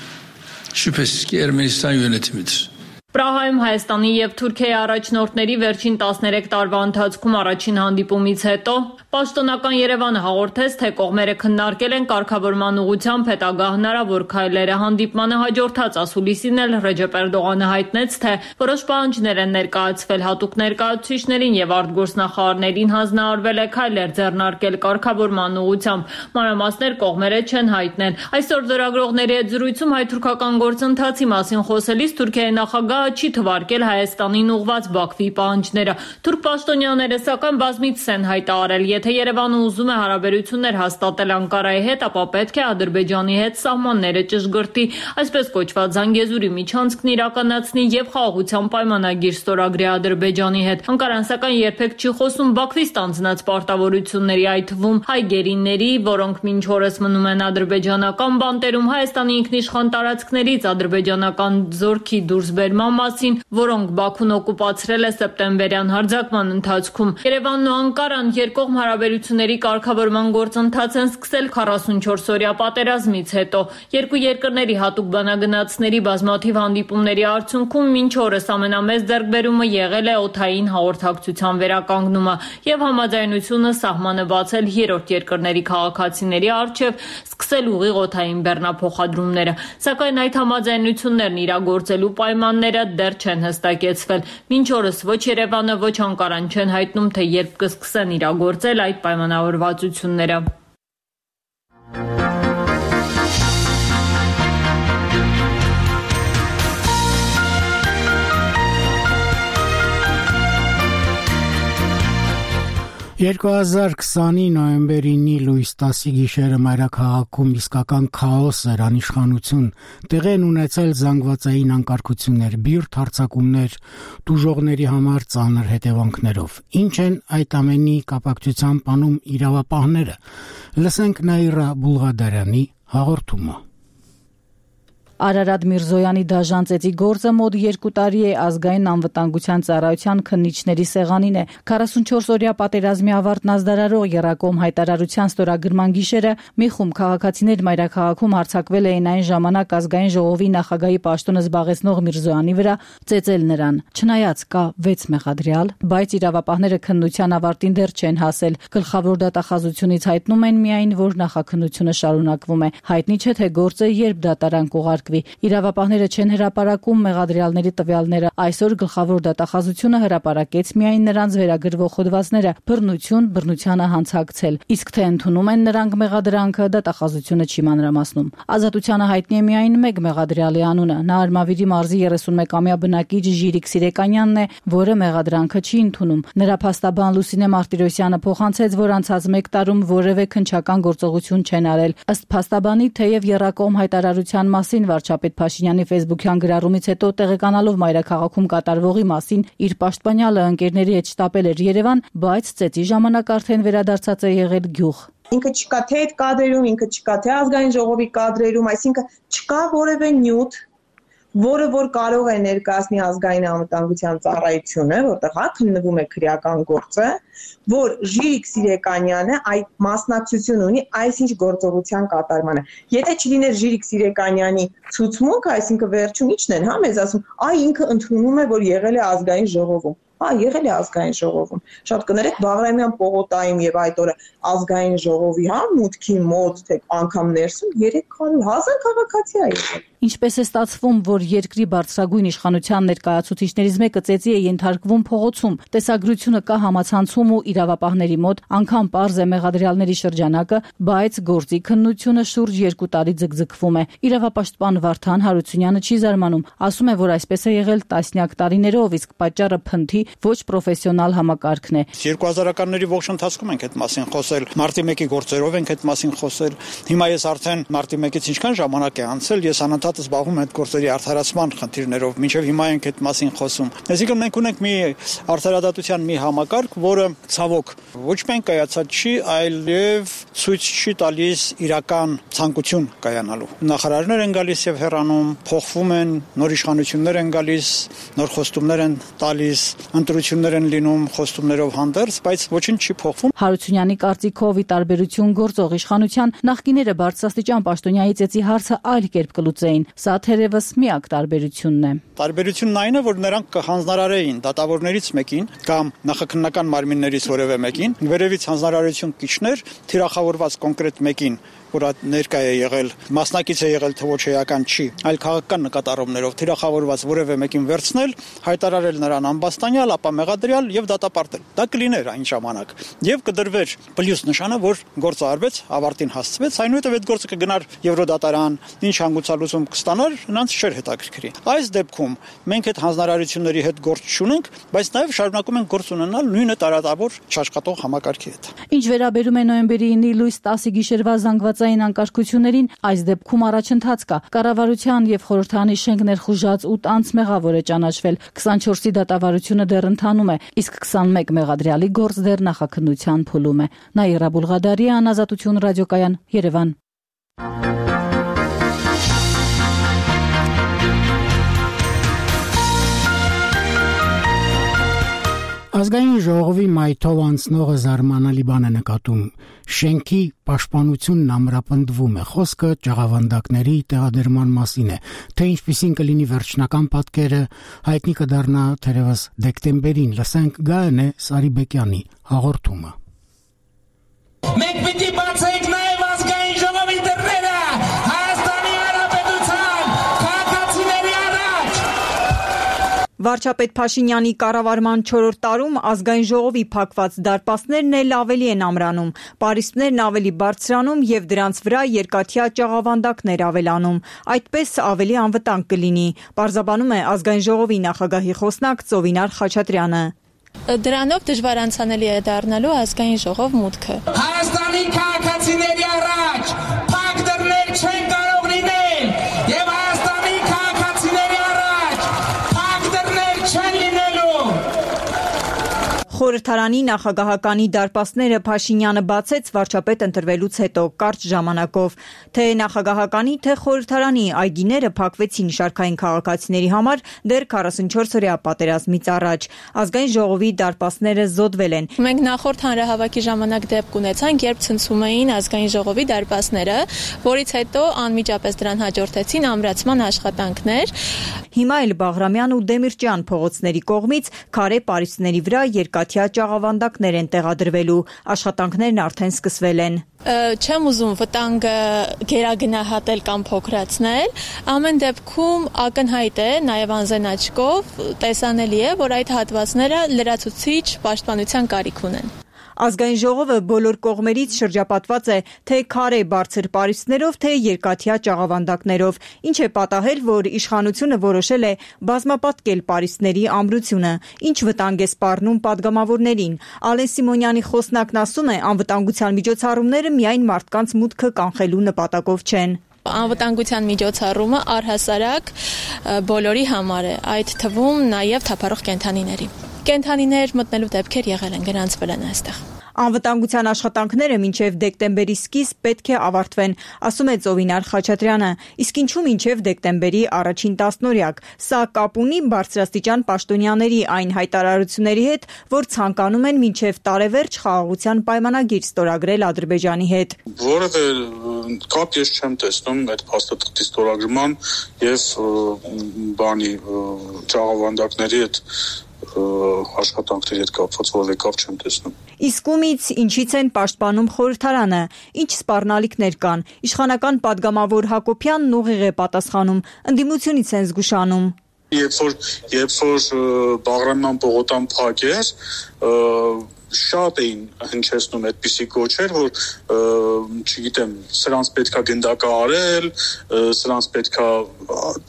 Şüphesiz ki Ermenistan yönetimidir. Պրահայում Հայաստանի եւ Թուրքիայի առաջնորդների վերջին 13 տարվա ընթացքում առաջին հանդիպումից հետո պաշտոնական Երևանը հաղորդեց, թե կողմերը քննարկել են կարգավորման ուղղությամբ հետագա հնարավոր քայլերը։ Հանդիպմանը հաջորդած ասուլիսին էլ Ռեջեփ Էրդողանը հայտնեց, թե որոշ պահանջներ են ներկայացվել հատուկ ներկայացուցիչներին եւ արտգործնախարարներին հանձնարարվել է քայլեր ձեռնարկել կարգավորման ուղղությամբ։ Մանրամասներ կողմերը չեն հայտնել։ Այսօր լրագրողների հետ զրույցում հայ-թուրքական գործընթացի մասին խոսելիս Թուրքիայի նախագահ չի թվարկել Հայաստանին ուղղված Բաքվի պահանջները։ Թուրք պաշտոնյաները սակայն բազմիցս են հայտարարել, եթե Երևանը ուզում է հարաբերություններ հաստատել Անկարայի հետ, ապա պետք է Ադրբեջանի հետ սահմանները ճշգրտի, այսպես կոչված Զանգեզուրի միջանցքն իրականացնի եւ խաղաղության պայմանագիր ստորագրի Ադրբեջանի հետ։ Անկարան սակայն երբեք չի խոսում Բաքվի ստանձնած պարտավորությունների, այդ թվում հայ գերիների, որոնք մինչ օրս մնում են ադրբեջանական բանտերում, Հայաստանի ինքնիշխան տարածքներից ադրբեջանական զորքի դուրսբերման մասին, որոնք Բաքուն օկուպացրել է սեպտեմբերյան հարձակման ընթացքում։ Երևանն ու Անկարան երկկողմ հարաբերությունների կարգավորման գործընթաց են սկսել 44-օրյա պատերազմից հետո։ Երկու երկրների հատուկ բանագնացների բազմաթիվ հանդիպումների արդյունքում մինչ օրս ամենամեծ ձեռքբերումը եղել է օդային հաղորդակցության վերականգնումը եւ համաձայնությունը սահմանը բացել երրորդ երկրների քաղաքացիների առջև սկսել ուղիղ օդային բեռնափոխադրումները, սակայն այդ համաձայնություններն իրագործելու պայմանները դեռ չեն հստակեցվել։ Մինչ օրս ոչ Երևանը, ոչ Անկարան չեն հայտնում, թե երբ կսկսեն իրագործել այդ պայմանավորվածությունները։ «2020-ի նոյեմբերի լույս 10-ի գիշերը մայրաքաղաքում իսկական քաոս էր, անիշխանություն, տեղի են ունեցել զանգվածային անկարգություններ, բիրտ հարձակումներ, տուժողների համար ծանր հետևանքներով։ Ինչ են այդ ամենի կապակցությամբ անում իրավապահները։ Լսենք Նաիրա Բուլղադարյանի հաղորդումը։ Արարատ Միրզոյանի դաժան ծեծի գործը մոտ 2 տարի է ազգային անվտանգության ծառայության քննիչների սեղանին է։ 44-օրյա պատերազմի ավարտն ազդարարող Եռակոմ հայտարարության ստորագրման գիշերը մի խումբ քաղաքացիներ մայրաքաղաքում հարձակվել էին այն ժամանակ ազգային ժողովի նախագահի պաշտոնը զբաղեցնող Միրզոյանի վրա, ծեծել նրան։ Չնայած կա 6 մեղադրյալ, բայց իրավապահները քննության ավարտին դեռ չեն հասել։ Գլխավոր դատախազությունից հայտնում են միայն, որ նախաքննությունը շարունակվում է։ Հայտնի չէ, թե գործը երբ դատարան կուղարկվի։ Իրավապահները չեն հրապարակում մեղադրյալների տվյալները։ Այսօր գլխավոր դատախազությունը հրապարակեց միայն նրանց վերագրվող հոդվածները՝ բռնություն, բռնությանը հանցակցել։ Իսկ թե ընդունում են նրանք մեղադրանքը, դատախազությունը չի մանրամասնում։ Ազատությանը հայտնի է միայն մեկ մեղադրյալի անունը։ Նա Արմավիրի մարզի 31-ամյա բնակիչ Ժիրիկ Սիրեկանյանն է, որը մեղադրանքը չի ընդունում։ Նրա փաստաբան Լուսինե Մարտիրոսյանը փոխանցեց, որ անցած 1 տարում որևէ քննչական գործողություն չեն արել։ Ըստ փաստաբանի, թեև Եռակոմ հայտարարության մասին վարչապետ Փաշինյանի ֆեյսբուքյան գրառումից հետո տեղեկանալով մայրաքաղաքում կատարվողի մասին իր պաշտպանյալը ընկերների հետ շտապել էր Երևան, բայց ծեծի ժամանակ արդեն վերադարձած է եղել գյուղ։ Ինքը չկա թե այդ կադրերում, ինքը չկա թե ազգային ժողովի կադրերում, այսինքն չկա որևէ նյութ, որը որ կարող է ներկայացնի ազգային անվտանգության ծառայությունը, որտեղ քննվում է քրեական գործը, որ Ժիրիկ Սիրեկանյանը այդ մասնակցություն ունի այսինչ գործողության կատարմանը։ Եթե չլիներ Ժիրիկ Սիրեկանյանի ցուցմունքը, այսինքն վերջում ի՞նչն են, մեզ ասում, ինքը ընդունում է, որ եղել է ազգային ժողովում։ Եղել է ազգային ժողովում։ Շատ կներեք Բաղրամյան պողոտայում եւ այդ օրը ազգային ժողովի մուտքի մոտ, թե անգամ ներսում 300,000 քաղաքացի է եղել։ Ինչպես է ստացվում, որ երկրի բարձրագույն իշխանության ներկայացուցիչներից մեկը ծեծի է ենթարկվում փողոցում, տեսագրությունը կա համացանցում ու իրավապահների մոտ, անգամ պարզ է մեղադրյալների շրջանակը, բայց գործի քննությունը շուրջ 2 տարի ձգձգվում է։ Իրավապաշտպան Վարդան Հարությունյանը չի զարմանում, ասում է, որ այսպես է եղել տասնյակ տարիներով, իսկ պատճառը փնթի ոչ պրոֆեսիոնալ համակարգն է։ 2000-ականների ողջ ընթացքում ենք այդ մասին խոսել, մարտի 1-ի գործերով ենք այդ մասին խոսել։ Հիմա ես արդեն մարտի 1-ից ինչքան ժամանակ է անցել, ես անընդհատ զբաղվում եմ այդ գործերի արդարացման խնդիրներով, մինչև հիմա ենք այդ մասին խոսում։ Այսինքն մենք ունենք մի արդարադատության մի համակարգ, որը ցավոք ոչ միայն կայացած չի, այլև ցույց չի տալիս իրական ցանկություն կայանալու։ Նախարարներ են գալիս եւ հեռանում, փոխվում են, նոր իշխանություններ են գալիս, նոր խոստումներ են տալիս, ընտրություններ են լինում խոստումներով հանդերձ, բայց ոչինչ չի փոխվում։ Հարությունյանի կարծիքով ի տարբերություն գործող իշխանության նախկիները բարձրաստիճան պաշտոնյայի ծեծի հարցը այլ կերպ կլուծեին։ Սա թերևս միակ տարբերությունն է։ Տարբերությունն այն է, որ նրանք կհանձնարարեին դատավորներից մեկին կամ նախաքննական մարմիններից որևէ մեկին, վերևից հանձնարարություն կիչներ թիրախավորված կոնկրետ մեկին, որ ներկայ է եղել, մասնակից է եղել, թե ոչ էական չի, այլ քաղաքական նկատառումներով թիրախավորված որևէ մեկին վերցնել, հայտարարել նրան ամբաստանյալ, ապա մեղադրյալ եւ դատապարտել։ Դա կլիներ այն ժամանակ եւ կդրվեր պլյուս նշանը, որ գործը արվեց, ավարտին հասցվեց, այնուհետեւ այդ գործը կգնար Եվրոդատարան, ինչ հանգուցալուծում կստանար, նրանց չէր հետաքրքրի։ Այս դեպքում մենք այդ հանձնարարությունների հետ գործ չունենք, բայց նաև շարունակում ենք գործ ունենալ նույնը տարածավոր չաշխատող համակարգի հետ։ Ինչ վերաբերում է նոյեմբերի 9-ի լույս 10-ի գիշերվա զանգվածային անկարգություններին, այս դեպքում առաջընթաց կա։ Կառավարության եւ խորհրդարանի շենք ներխուժած 8 անձ մեղավոր է ճանաչվել։ 24-ի դատավարությունը դեռ ընթանում է, իսկ 21 մեղադրյալի գործ դեռ նախաքննության փուլում է։ Նաիրա Բուլղադարյան, Ազատություն ռադիոկայան, Երևան։ Ազգային ժողովի մայթով անցնողը զարմանալի բան է նկատում։ Շենքի պաշտպանությունն ամրապնդվում է։ Խոսքը ճաղավանդակների տեղադրման մասին է, թե ինչպիսին կլինի վերջնական պատկերը, հայտնի կդառնա թերևս դեկտեմբերին։ Լսենք Գայանե Սարիբեկյանի հաղորդումը։ Մենք պիտի բացենք նաև ազգային ժողովի դռները Հայաստանի Հանրապետության քաղաքացիների առաջ։ Վարչապետ Փաշինյանի կառավարման 4-րդ տարում ազգային ժողովի փակված դարպասներն էլ ավելի են ամրանում, պարիսպներն ավելի բարձրանում եւ դրանց վրա երկաթյա ճաղավանդակներ ավելանում։ Այդպես ավելի անվտանգ կլինի, պարզաբանում է ազգային ժողովի նախագահի խոսնակ Ծովինար Խաչատրյանը։ Դրանով դժվար անցանելի է դառնալու ազգային ժողով մուտքը։ Հայաստանի քաղաքացիների առաջ փակ դռներ չեն կարող լինել եւ Հայաստանի քաղաքացիների առաջ փակ դռներ չեն լինելու։ Խորհրդարանի նախագահականի դարպասները Փաշինյանը բացեց վարչապետ ընտրվելուց հետո կարճ ժամանակով, թե նախագահականի, թե խորհրդարանի այգիները փակվեցին շարքային քաղաքացիների համար դեռ 44-օրյա պատերազմից առաջ։ Ազգային ժողովի դարպասները զոդվել են։ Մենք նախորդ հանրահավաքի ժամանակ դեպք ունեցանք, երբ ցնցում էին ազգային ժողովի դարպասները, որից հետո անմիջապես դրան հաջորդեցին ամրացման աշխատանքներ։ Հիմա էլ Բաղրամյան ու Դեմիրճյան փողոցների կողմից քարե պարիսպների վրա երկաթյա ճաղավանդակներ են տեղադրվելու, աշխատանքներն արդեն սկսվել են։ Չեմ ուզում վտանգը գերագնահատել կամ փոքրացնել, ամեն դեպքում ակնհայտ է, նաև անզեն աչքով տեսանելի է, որ այդ հատվածները լրացուցիչ պաշտպանության կարիք ունեն։ Ազգային ժողովը բոլոր կողմերից շրջապատված է թե քարե բարձր պարիսպներով, թե երկաթյա ճաղավանդակներով, ինչ է պատահել, որ իշխանությունը որոշել է բազմապատկել պարիսպների ամրությունը, ինչ վտանգ է սպառնում падգամավորներին։ Ալեն Սիմոնյանի խոսնակն ասում է, անվտանգության միջոցառումները միայն մարդկանց մուտքը կանխելու նպատակով չեն։ Անվտանգության միջոցառումը առհասարակ բոլորի համար է, այդ թվում նաև թափառող կենդանիների։ Կենդանիներ մտնելու դեպքեր եղել են, գրանցվել են այստեղ։ Անվտանգության աշխատանքները մինչև դեկտեմբերի սկիզբ պետք է ավարտվեն, ասում է Ծովինար Խաչատրյանը, իսկ ինչու մինչև դեկտեմբերի առաջին տասնօրյակ։ Սա կապ ունի բարձրաստիճան պաշտոնյաների այն հայտարարությունների հետ, որ ցանկանում են մինչև տարեվերջ խաղաղության պայմանագիր ստորագրել Ադրբեջանի հետ։ Որևէ կապ ես չեմ տեսնում այդ փաստաթղթի ստորագրման եւ ճաղավանդակների հետ աշխատանքների հետ կապված որևէ կապ չեմ տեսնում։ Իսկ ումից ինչից են պաշտպանում խորհրդարանը, ինչ սպառնալիքներ կան։ Իշխանական падգամավոր Հակոբյանն ուղիղ է պատասխանում, ընդդիմությունից են զգուշանում։ Երբ որ Բաղրամյան պողոտան փակ էր, շատ էին հնչեցնում այդպիսի կոչեր, որ չգիտեմ, սրանց պետքա գնդակահարել, սրանց պետքա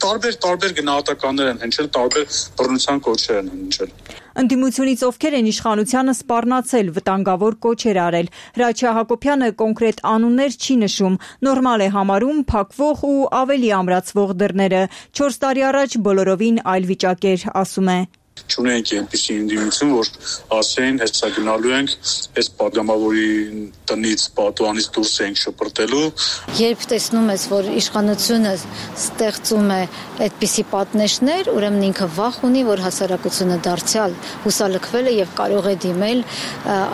տարբեր գնահատականներ են հնչել, տարբեր բռնության կոչեր են հնչել։ Ընդդիմությունից ովքեր են իշխանությանը սպառնացել, վտանգավոր կոչեր արել։ Հրաչյա Հակոբյանը կոնկրետ անուններ չի նշում, նորմալ է համարում փակվող ու ավելի ամրացվող դռները։ 4 տարի առաջ բոլորովին այլ վիճակ էր, ասում է։ Չունենք այնպիսի ընդդիմություն, որ ասեն, հեսա գնալու ենք, այս падգամավորի տնից, պատուանից դուրս ենք շպրտելու։ Երբ տեսնում ես, որ իշխանությունը ստեղծում է այդպիսի պատնեշներ, ուրեմն ինքը վախ ունի, որ հասարակությունը դարձյալ հուսալքվել է եւ կարող է դիմել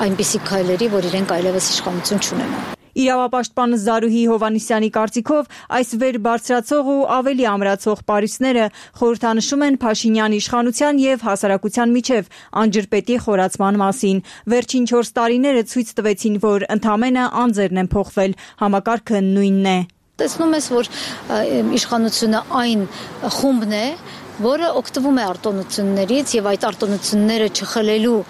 այնպիսի քայլերի, որ իրենք այլևս իշխանություն չունենան։ Իրավապաշտպան Զարուհի Հովանիսյանի կարծիքով այս վեր բարձրացող ու ավելի ամրացող պարիսպները խորհրդանշում են Փաշինյանի իշխանության եւ հասարակության միջև անջրպետի խորացման մասին։ Վերջին 4 տարիները ցույց տվեցին, որ ընդամենը անձերն են փոխվել, համակարգը նույնն է։ Տեսնում ես, որ իշխանությունը այն խումբն է, որը օգտվում է արտոնություններից եւ այդ արտոնությունները չխլելու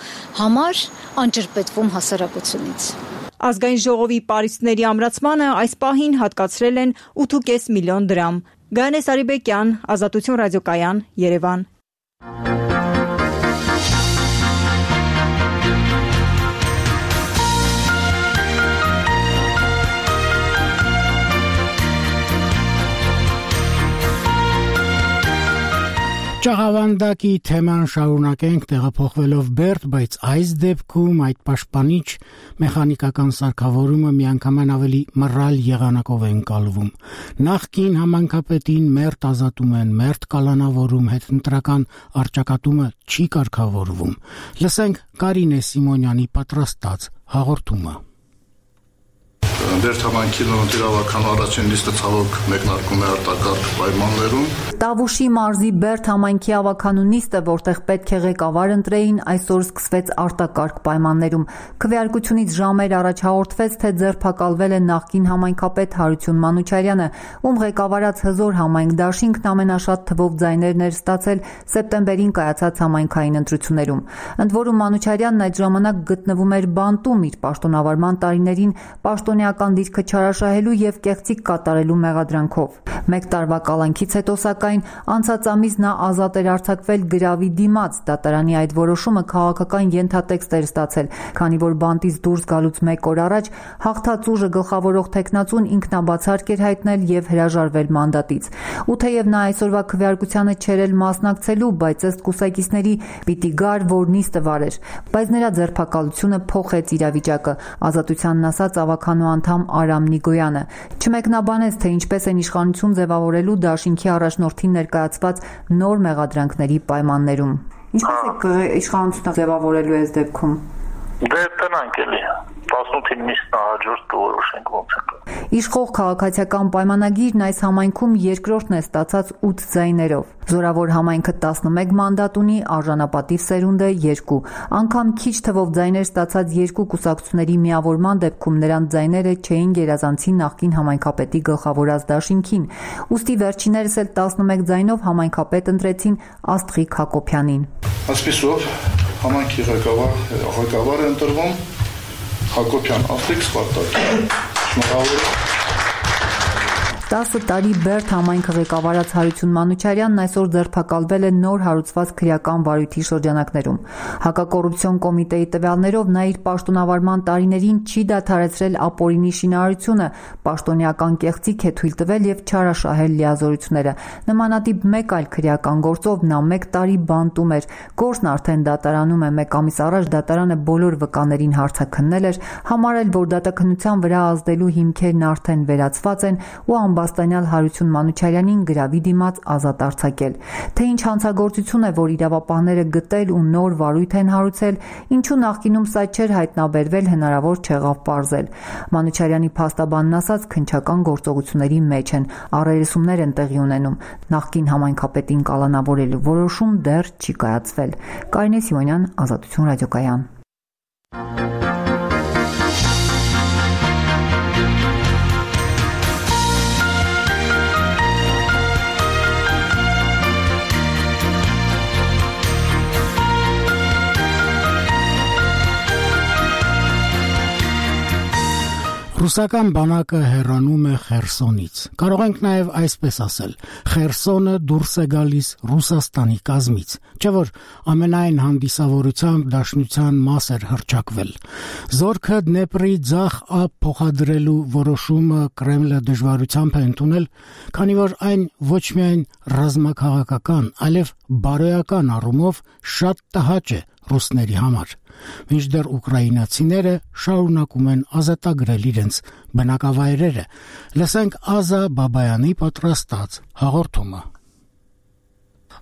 համար անջրպետվում հասարակությունից։ Ազգային ժողովի պարիսպների ամրացմանը այս պահին հատկացրել են 8.5 միլիոն դրամ։ Գայանե Սարիբեկյան, Ազատություն ռադիոկայան, Երևան։ Ճաղավանդակի թեման շարունակենք տեղափոխվելով Բերդ, բայց այս դեպքում այդ պաշտպանիչ մեխանիկական սարքավորումը միանգամայն ավելի մռայլ եղանակով է ընկալվում։ Նախկին համանքապետին մերթ ազատում են, մերթ կալանավորում, հետընտրական առճակատումը չի կարգավորվում։ Լսենք Կարինե Սիմոնյանի պատրաստած հաղորդումը։ Բերդ համայնքի նորընտիրավական առաջին նիստը ցավոք մեկնարկում է արտակարգ պայմաններում։ Տավուշի մարզի Բերդ համայնքի ավականու նիստը, որտեղ պետք է ղեկավար ընտրեին, այսօր սկսվեց արտակարգ պայմաններում։ Քվեարկությունից ժամեր առաջ հաղորդվեց, թե ձերբակալվել է նախկին համայնքապետ Հարություն Մանուչարյանը, ում ղեկավարած հզոր համայնք դաշինքն ամենաշատ թվով ձայներն էր ստացել սեպտեմբերին կայացած համայնքային ընտրություններում։ Ընդ որում Մանուչարյանն այդ ժամանակ գտնվում էր բանտում իր պաշտոնավարման տարիներին պաշտոնեական դիրքը չարաշահելու եւ կեղծիք կատարելու մեղադրանքով։ Մեկ տարվա կալանքից հետո սակայն անցած ամիս նա ազատ էր արձակվել գրավի դիմաց։ Դատարանի այդ որոշումը քաղաքական ենթատեքստ էր ստացել, քանի որ բանտից դուրս գալուց մեկ օր առաջ հաղթած ուժը գլխավորող տեխնացուն ինքնաբացարկ էր հայտնել եւ հրաժարվել մանդատից։ Ու թեև նա այսօրվա քվեարկությանը չէր էլ մասնակցելու, բայց ըստ կուսակիցների պիտի գար, որ նիստը վարեր։ Բայց նրա ձերբակալությունը փոխեց իրավիճակը, Ազատությանն ասաց ավականու անդամ Արամ Նիգոյանը։ Չմեկնաբանեց, թե ինչպես են իշխանություն ձևավորելու դաշինքի առաջնորդին ներկայացված նոր մեղադրանքների պայմաններում։ Ինչպես է իշխանությունը ձևավորելու այս դեպքում։ Դե տնանք էլի 18-ին նիստն հաջորդ կորոշենք ոնց է։ Իշխող քաղաքացիական պայմանագիրն այս համայնքում երկրորդն է ստացած 8 ձայներով։ Զորավոր համայնքը 11 մանդատ ունի, արժանապատիվ սերունդը 2։ Անգամ քիչ թվով ձայներ ստացած երկու կուսակցությունների միավորման դեպքում նրանց ձայները չէին գերազանցի նախկին համայնքապետի գլխավորած դաշինքին։ Ուստի վերջիներս էլ 11 ձայնով համայնքապետ ընտրեցին Աստղիկ Հակոբյանին։ Այսպիսով համայնքի ղեկավար է ընտրվում Հակոբյան Աստղիկ Սպարտակ։ Շնորհավոր 10 տարի Բերդ համայնքը ղեկավարած Հարություն Մանուչարյանն այսօր ձերբակալվել է նոր հարուցված քրեական վարույթի շրջանակներում։ Հակակոռուպցիոն կոմիտեի տվյալներով նա իր պաշտոնավարման տարիներին չի դադարեցրել ապօրինի շինարարությունը, պաշտոնեական կեղծիք է թույլ տվել եւ չարաշահել լիազորությունները։ Նմանատիպ մեկ այլ քրեական գործով նա 1 տարի բանտում էր։ Գործն արդեն դատարանում է։ 1 ամիս առաջ դատարանը բոլոր վկաներին հարցաքննել էր, համարել, որ դատաքննության վրա ազդելու հիմքերն արդեն վերացված են ու ամբաստանյալ Հարություն Մանուչարյանին գրավի դիմաց ազատ արձակել։ Թե ինչ հանցագործություն է, որ իրավապահները գտել ու նոր վարույթ են հարուցել, ինչու նախկինում սա չէր հայտնաբերվել, հնարավոր չեղավ պարզել։ Մանուչարյանի փաստաբանն ասաց, քննչական գործողությունների մեջ են, առերեսումներ են տեղի ունենում։ Նախկին համայնքապետին կալանավորելու որոշում դեռ չի կայացվել։ Կարինե Սիմոնյան, Ազատություն ռադիոկայան։ Ռուսական բանակը հեռանում է Խերսոնից։ Կարող ենք նաև այսպես ասել. Խերսոնը դուրս է գալիս Ռուսաստանի կազմից, չէ՞ որ ամենայն հանդիսավորությամբ դաշնության մաս էր հռչակվել։ Զորքը Դնեպրի ձախ ափ փոխադրելու որոշումը Կրեմլը դժվարությամբ է ընդունել, քանի որ այն ոչ միայն ռազմաքաղաքական, այլև բարոյական առումով շատ տհաճ է ռուսների համար։ Մինչդեռ ուկրաինացիները շարունակում են ազատագրել իրենց բնակավայրերը։ Լսենք Ազա Բաբայանի պատրաստած հաղորդումը։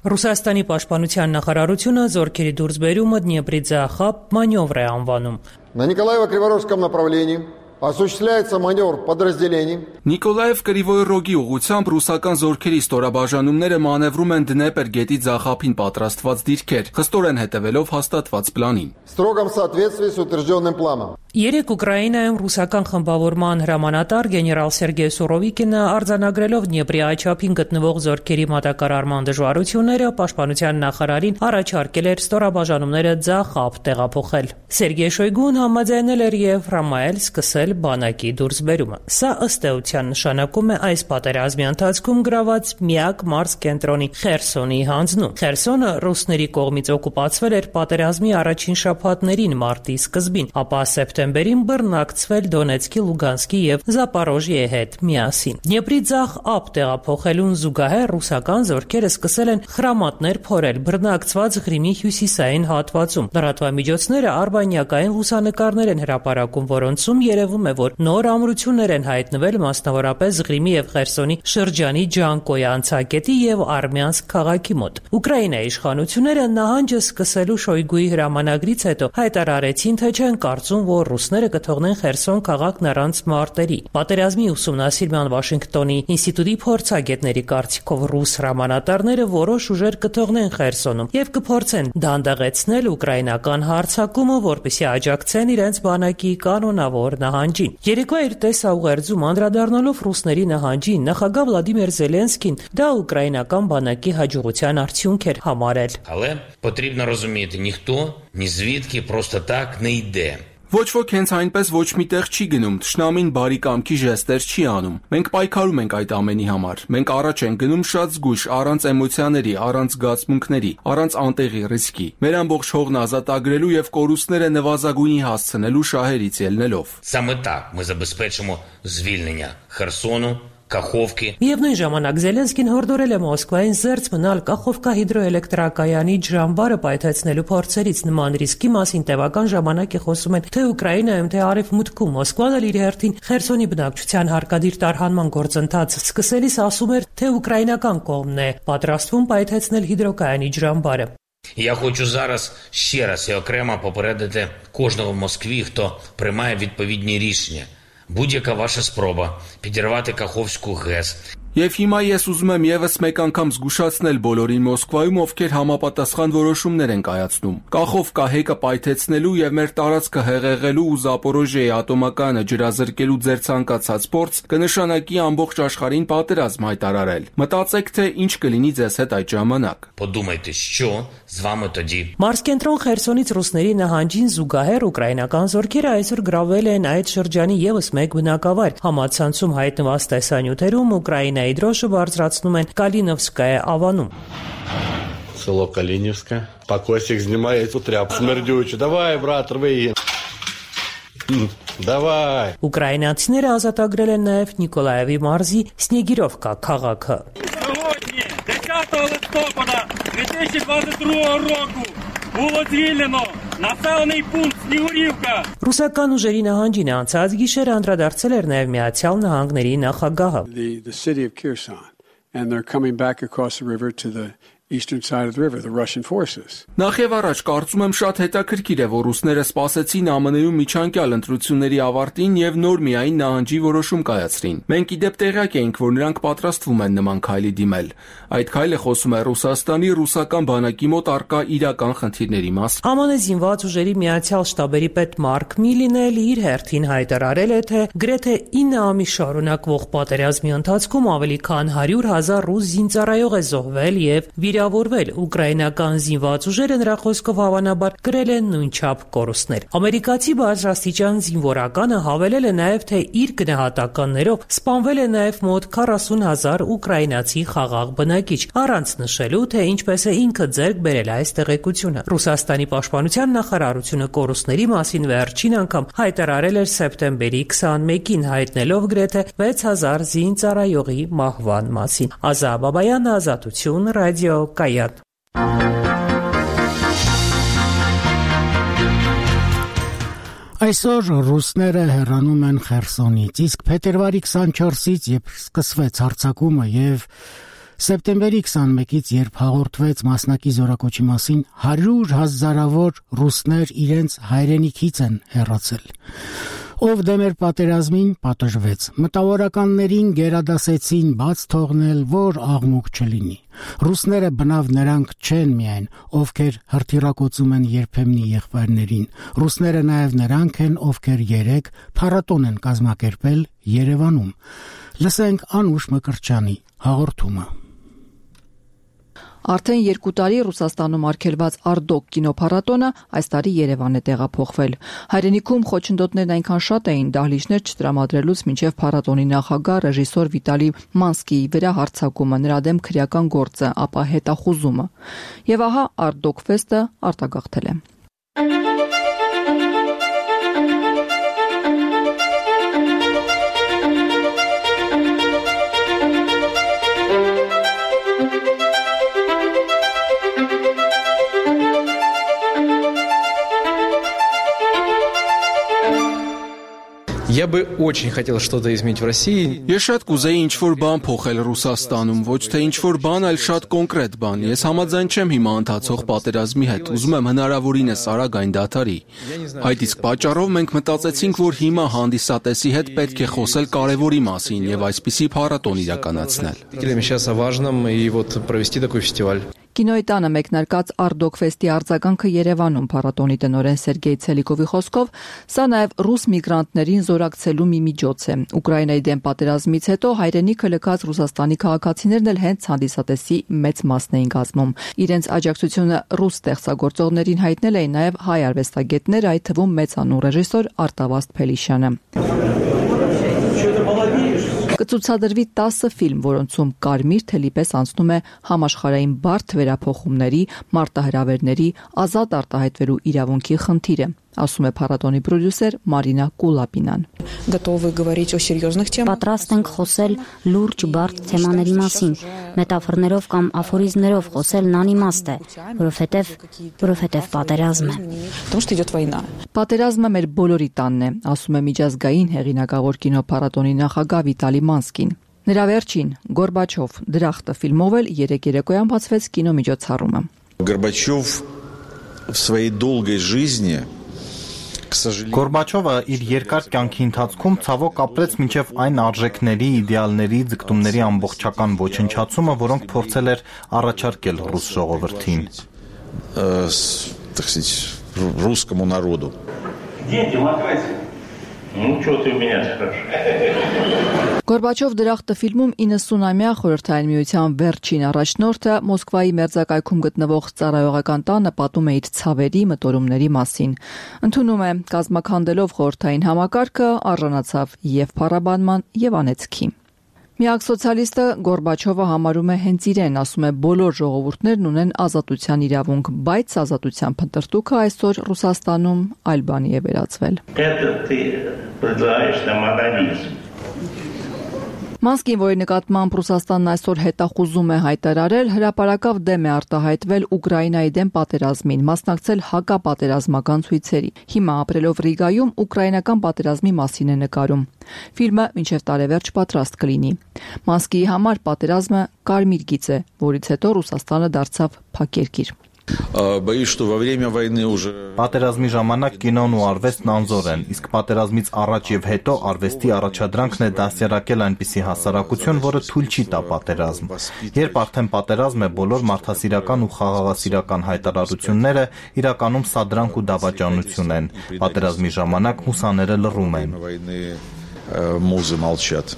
Ռուսաստանի պաշտպանության նախարարությունը զորքերի դուրսբերումը Դնեպրի ձախապ մանևր է անվանում։ На Николаево-Криворожском направлении осуществляется маневр подразделений. Նիկոլաև Կրիվոյ Ռոգի ուղղությամբ ռուսական զորքերի ստորաբաժանումները մանևրում են Դնեպր գետի ձախապին պատրաստված դիրքեր, խստորեն հետևելով հաստատված պլանին։ В строгом соответствии с утвержденным планом. Երեք Ուկրաինայում ռուսական խմբավորման հրամանատար գեներալ Սերգեյ Սուրովիկինը արձանագրելով Դնեպրի այչափին գտնվող զորքերի մատակարարման դժվարությունները պաշտպանության նախարարին առաջարկել էր ստորաբաժանումները ձախապ տեղափոխել։ Սերգեյ Շոյգուն համաձայնել էր եւ հրամայել սկսել կոչվել բանակի դուրսբերումը։ Սա ըստ էության նշանակում է այս պատերազմի ընթացքում գրաված միակ մարզկենտրոնի Խերսոնի հանձնում։ Խերսոնը ռուսների կողմից օկուպացվել էր պատերազմի առաջին շաբաթներին մարտի սկզբին, ապա սեպտեմբերին բռնակցվել Դոնեցկի, Լուգանսկի եւ Զապորոժիեի հետ միասին։ Դնեպրի ձախ ափ տեղափոխելուն զուգահեռ ռուսական զորքերը սկսել են խրամատներ փորել բռնակցված Ղրիմի հյուսիսային հատվածում։ Լրատվամիջոցները արբանյակային լուսանկարներ են հրապարակում, որոնցում երևում է, որ նոր ամրություններ են հայտնվել մասնավորապես Ղրիմի եւ Խերսոնի շրջանի Ջանկոյի անցակետի եւ Արմյանսկ քաղաքի մոտ։ Ուկրաինայի իշխանությունները նահանջը սկսելու Շոյգուի հրամանագրից հետո հայտարարեցին, թե չեն կարծում, որ ռուսները կթողնեն Խերսոն քաղաքն առանց մարտերի։ Պատերազմի ուսումնասիրման Վաշինգտոնի ինստիտուտի փորձագետների կարծիքով ռուս հրամանատարները որոշ ուժեր կթողնեն Խերսոնում եւ կփորձեն դանդաղեցնել ուկրաինական հարձակումը, որպեսզի աջակցեն իրենց բանակի կանոնավոր նահանջին։ Երեկվա իր տեսաուղերձում անդրադառնալով ռուսների նահանջին, նախագահ Վլադիմիր Զելենսկին դա ուկրաինական բանակի հաջողության արդյունք էր համարել։ Але потрібно розуміти, ніхто ні звідки просто так не йде. Ոչ ոք հենց այնպես ոչ միտեղ չի գնում, թշնամին բարի կամքի ժեստեր չի անում։ Մենք պայքարում ենք այդ ամենի համար։ Մենք առաջ ենք գնում շատ զգույշ, առանց էմոցիաների, առանց զգացմունքների, առանց անտեղի ռիսկի։ Մեր ամբողջ հողն ազատագրելու եւ կորուստները նվազագույնի հասցնելու շահերից ելնելով։ Саме так ми забезпечимо звільнення Херсону, Կախովկի։ Միևնույն ժամանակ Զելենսկին հորդորել է Մոսկվային զերծ մնալ Կախովկա հիդրոէլեկտրակայանի ջրամբարը պայթեցնելու փորձերից։ Նման ռիսկի մասին տևական ժամանակ է խոսում են թե Ուկրաինայում, թե Արևմուտքում։ Մոսկվան էլ իր հերթին Խերսոնի բնակչության հարկադիր տարհանման գործընթացը սկսելիս ասում էր, թե ուկրաինական կողմն է պատրաստվում պայթեցնել հիդրոկայանի ջրամբարը։ Я хочу зараз ще раз і окремо попередити кожного в Москві, хто приймає відповідні рішення. Будь-яка ваша спроба підірвати Каховську ГЕС. Եվ հիմա ես ուզում եմ եւս մեկ անգամ զգուշացնել բոլորին Մոսկվայում, ովքեր համապատասխան որոշումներ են կայացնում։ Կախովկա հեկը պայթեցնելու եւ մեր տարածքը հեղեղելու ու Զապորոժիեի ատոմակայանը ջրազրկելու ձեր ցանկացած փորձ կնշանակի ամբողջ աշխարհին պատերազմ հայտարարել։ Մտածեք, թե ինչ կլինի ձեզ հետ այդ ժամանակ։ Подумайте, що з вами тоді։ Մարզկենտրոն Խերսոնից ռուսների նահանջին զուգահեռ ուկրաինական զորքերը այսօր գրավել են այդ շրջանի եւս մեկ բնակավայր։ Համացանցում հայտնված տեսանյութերում Ուկրաինայի դրոշը բարձրացնում են Կալինովսկայա ավանում։ Село Калинівське. Покосик знімає цю тряпку смердючу. Давай, брат, рви. Давай. Ուկրաինացիները ազատագրել են նաև Նիկոլաևի մարզի Սնեգիրովկա քաղաքը։ Сьогодні, 10 листопада 2022 року, було звільнено населений пункт Снігурівка. Ռուսական ուժերի նահանջին անցած գիշեր անդրադարձել էր նաև Միացյալ Նահանգների նախագահը։ The city of Kherson, and they're coming back across the river to the eastern side of the river, the Russian forces. Նախ եւ առաջ կարծում եմ շատ հետաքրքիր է, որ ռուսները սպասեցին ԱՄՆ-ում միջանկյալ ընտրությունների ավարտին եւ նոր միայն նահանջի որոշում կայացրին։ Մենք իդեպ տեղյակ էինք, որ նրանք պատրաստվում են նման քայլի դիմել։ Այդ քայլը խոսում է Ռուսաստանի ռուսական բանակի մոտ առկա իրական խնդիրների մասին։ ԱՄՆ զինված ուժերի միացյալ շտաբերի պետ Մարկ Միլին էլ իր հերթին հայտարարել է, թե գրեթե 9 ամիս շարունակվող պատերազմի ընթացքում ավելի քան 100,000 ռուս զինծառայող է զոհվել եւ վիրավորվել։ Ուկրաինական զինված ուժերը նրա խոսքով հավանաբար կրել են նույնչափ կորուստներ։ Ամերիկացի բարձրաստիճան զինվորականը հավելել է նաև, թե իր գնահատականներով սպանվել է նաև մոտ 40,000 ուկրաինացի խաղաղ բնակիչ, առանց նշելու, թե ինչպես է ինքը ձեռք բերել այս տեղեկությունը։ Ռուսաստանի պաշտպանության նախարարությունը կորուստների մասին վերջին անգամ հայտարարել էր սեպտեմբերի 21-ին, հայտնելով գրեթե 6,000 զինծառայողի մահվան մասին։ Ազա Բաբայան, Ազատություն, ռադիո Կայան։ Այսօր ռուսները հեռանում են Խերսոնից, իսկ փետրվարի 24-ից, երբ սկսվեց հարձակումը եւ սեպտեմբերի 21-ից, երբ հաղորդվեց մասնակի զորակոչի մասին, 100,000-ավոր ռուսներ իրենց հայրենիքից են հեռացել։ Ով դեմ էր պատերազմին, պատժվեց։ Մտավորականներին գերադասեցին բաց թողնել, որ աղմուկ չլինի։ Ռուսները բնավ նրանք չեն միայն, ովքեր հրթիռակոծում են երբեմնի եղբայրներին։ Ռուսները նաև նրանք են, ովքեր երեք փառատոն են կազմակերպել Երևանում։ Լսենք Անուշ Մկրտչյանի հաղորդումը։ Արդեն 2 տարի Ռուսաստանում արգելված Արդոք կինոփառատոնը այս տարի Երևան է տեղափոխվել։ Հայրենիքում խոչընդոտներն այնքան շատ էին, դահլիճներ չտրամադրելուց մինչև փառատոնի նախագահ ռեժիսոր Վիտալի Մանսկիի վրա հարձակումը, նրա դեմ քրեական գործը, ապա հետախուզումը։ Եվ ահա Արդոք ֆեստը արտագաղթել է։ Я бы очень хотел что-то изменить в России. Ես շատ կուզեի ինչ-որ բան փոխել Ռուսաստանում, ոչ թե ինչ-որ բան, այլ շատ կոնկրետ բան։ Ես համաձայն չեմ հիմա ընթացող պատերազմի հետ, ուզում եմ հնարավորինս արագ այն դադարի։ Այդ իսկ պատճառով մենք մտածեցինք, որ հիմա հանդիսատեսի հետ պետք է խոսել կարևորի մասին եւ այսպիսի փառատոն իրականացնել։ Сейчас о важном и вот провести такой фестиваль. Կինոյի տանը մեկնարկած Արդոք ֆեստի արձագանքը Երևանում փառատոնի տնօրեն Սերգեյ Ցելիկովի խոսքով սա նաև ռուս միգրանտներին զորակցելու մի միջոց է։ Ուկրաինայի դեմ պատերազմից հետո հայրենիքը լքած Ռուսաստանի քաղաքացիներն էլ հենց հանդիսատեսի մեծ մասն էին կազմում։ Իրենց աջակցությունը ռուս ստեղծագործողներին հայտնել էին նաև հայ արվեստագետներ, այդ թվում մեծանուն ռեժիսոր Արտավազդ Փելիշյանը։ Կցուցադրվի 10 ֆիլմ, որոնցում կարմիր թելի պես անցնում է համաշխարհային բարդ վերափոխումների, մարտահրավերների, ազատ արտահայտվելու իրավունքի խնդիրը, ասում է փառատոնի պրոդյուսեր Մարինա Կուլապինան։ Պատրաստ ենք խոսել լուրջ բարդ թեմաների մասին, մետաֆորներով կամ աֆորիզմներով խոսելն անիմաստ է, որովհետև պատերազմ է։ Պատերազմը մեր բոլորի տանն է, ասում է միջազգային հեղինակավոր կինոփառատոնի նախագահ Վիտալի Մանսկին։ Նրա վերջին Գորբաչով դրախտը ֆիլմով էլ երեք երեկոյան բացվեց կինոմիջոցառումը։ Գորբաչով в своей долгой жизни Գորբաչովը իր երկար կյանքի ընթացքում ցավոք ապրեց մինչև այն արժեքների, իդեալների, ձգտումների ամբողջական ոչնչացումը, որոնք փորձել էր առաջարկել ռուս ժողովրդին։ Так сказать, русскому народу. Где демократия? Ну, что ты у меня спрашиваешь? Գորբաչով դրախտը ֆիլմում 90-ամյա Խորհրդային Միության վերջին առաջնորդը Մոսկվայի մերձակայքում գտնվող ծառայողական տանը պատում է իր ցավերի մտորումների մասին։ Ընդունում է կազմաքանդելով խորհրդային համակարգը, արժանացավ եւ փառաբանման եւ անեծքի։ Միակ սոցիալիստը Գորբաչովը համարում է հենց իրեն, ասում է բոլոր ժողովուրդներն ունեն ազատության իրավունք, բայց ազատության փնտրտուքը այսօր Ռուսաստանում այլ բանի է վերածվել։ Մանսկին, որի նկատմամբ Ռուսաստանն այսօր հետախուզում է հայտարարել, հրապարակավ դեմ է արտահայտվել Ուկրաինայի դեմ պատերազմին, մասնակցել հակապատերազմական ցույցերի։ Հիմա ապրելով Ռիգայում ուկրաինական պատերազմի մասին է нկարում։ Ֆիլմը մինչև տարեվերջ պատրաստ կլինի։ Մանսկիի համար պատերազմը կարմիր գիծ է, որից հետո Ռուսաստանը դարձավ փակ երկիր։ Боюсь, что во время войны уже Պատերազմի ժամանակ կինոն ու արվեստն անզոր են, իսկ պատերազմից առաջ եւ հետո արվեստի առաջադրանքն է դասերակել այնպիսի հասարակություն, որը թույլ չի տա պատերազմ։ Երբ արդեն պատերազմ է, բոլոր մարդասիրական ու խաղաղասիրական հայտարարությունները իրականում սադրանք ու դավաճանություն են։ Պատերազմի ժամանակ մուսաները լռում են։ Մուզы молчат.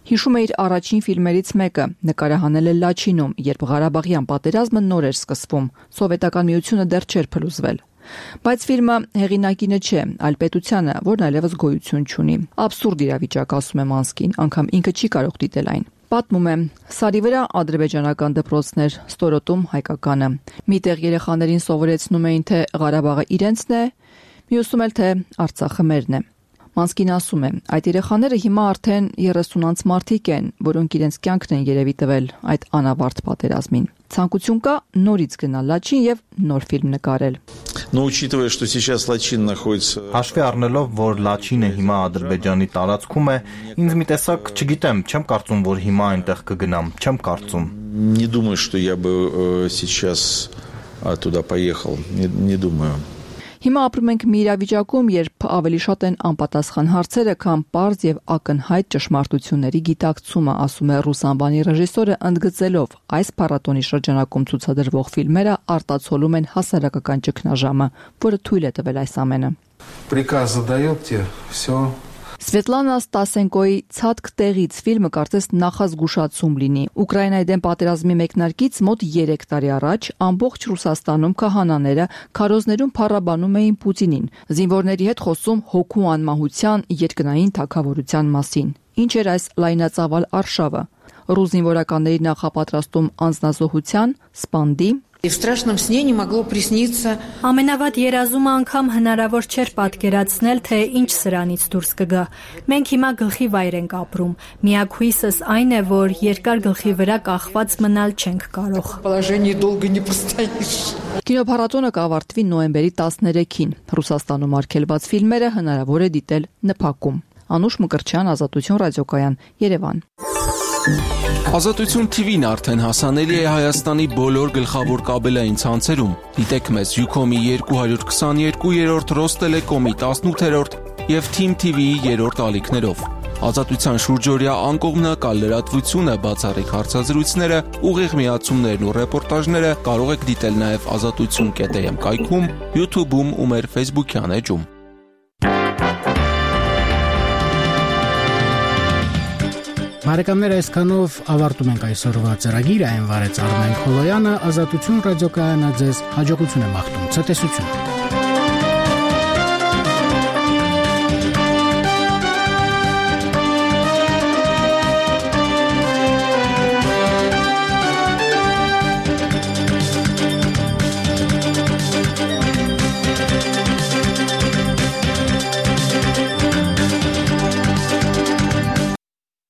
Հիշում է իր առաջին ֆիլմերից մեկը, նկարահանել է Լաչինում, երբ Ղարաբաղյան պատերազմը նոր էր սկսվում, Սովետական Միությունը դեռ չէր փլուզվել։ Բայց ֆիլմը հեղինակինը չէ, այլ պետությանը, որն այլևս գոյություն չունի։ Աբսուրդ իրավիճակ, ասում է Մանսկին, անգամ ինքը չի կարող դիտել այն։ Պատմում է. Սարի վրա ադրբեջանական դպրոցներ, ստորոտում հայկականը։ Միտեղ երեխաներին սովորեցնում էին, թե Ղարաբաղը իրենցն է, մյուսում էլ թե Արցախը մերն է։ Մանսկին ասում է, այդ երեխաները հիմա արդեն 30-անց մարդիկ են, որոնք իրենց կյանքն են երևի տվել այդ անավարտ պատերազմին։ Ցանկություն կա նորից գնալ Լաչին եւ նոր ֆիլմ նկարել։ Но учитывая, что сейчас Лачин находится Հաշվի առնելով, որ Լաչինը հիմա Ադրբեջանի տարածքում է, ինձ մի տեսակ, չգիտեմ, չեմ կարծում, որ հիմա այնտեղ կգնամ, չեմ կարծում։ Не думаю, что я бы сейчас туда поехал. Не думаю. Հիմա ապրում ենք մի իրավիճակում, երբ ավելի շատ են անպատասխան հարցերը, քան պարզ եւ ակնհայտ ճշմարտությունների գիտակցումը, ասում է ռուս անվանի ռեժիսորը, ընդգծելով այս փառատոնի շրջանակում ցուցադրվող ֆիլմերը արտացոլում են հասարակական ճգնաժամը, որը թույլ է տվել այս ամենը։ Приказ задает тебе, все Սվետլանա Ստասենկոյի «Ցածկ տեղից» ֆիլմը կարծես նախազգուշացում լինի։ Ուկրաինայի դեմ պատերազմի մեկնարկից մոտ 3 տարի առաջ ամբողջ Ռուսաստանում քահանաները քարոզներում փառաբանում էին Պուտինին, զինվորների հետ խոսում հոգու անմահության, երկնային թագավորության մասին։ Ինչ էր այս լայնածավալ արշավը։ Ռուս զինվորականների նախապատրաստում անձնազոհության, սպանդի, Ամենավատ երազումը անգամ հնարավոր չէր պատկերացնել, թե ինչ սրանից դուրս կգա։ Մենք հիմա գլխի վայր ենք ապրում։ Միակ հույսս այն է, որ երկար գլխի վրա կախված մնալ չենք կարող։ Կինոփառատոնը կավարտվի նոյեմբերի 13-ին։ Ռուսաստանում արգելված ֆիլմերը հնարավոր է դիտել ՆՓԱԿ-ում։ Անուշ Մկրտչյան, Ազատություն ռադիոկայան, Երևան։ Ազատություն TV-ն արդեն հասանելի է Հայաստանի բոլոր գլխավոր կաբելային ցանցերում։ Դիտեք մեզ Ucom-ի 222-րդ, Ռոստելեկոմի 18-րդ եւ Team TV-ի 3-րդ ալիքներով։ Ազատության շուրջօրյա անկողմնակալ լրատվությունը, բացառիկ հարցազրույցները, ուղիղ միացումներն ու ռեպորտաժները կարող եք դիտել նաեւ azatutsun.am կայքում, YouTube-ում ու մեր Facebook-յան էջում։ Բարեկամներ, այսքանով ավարտում ենք այսօրվա ծրագիրը, այն վարեց Արմեն Խոլոյանը, Ազատություն ռադիոկայանը ձեզ հաջողություն է մաղթում, ցտեսություն։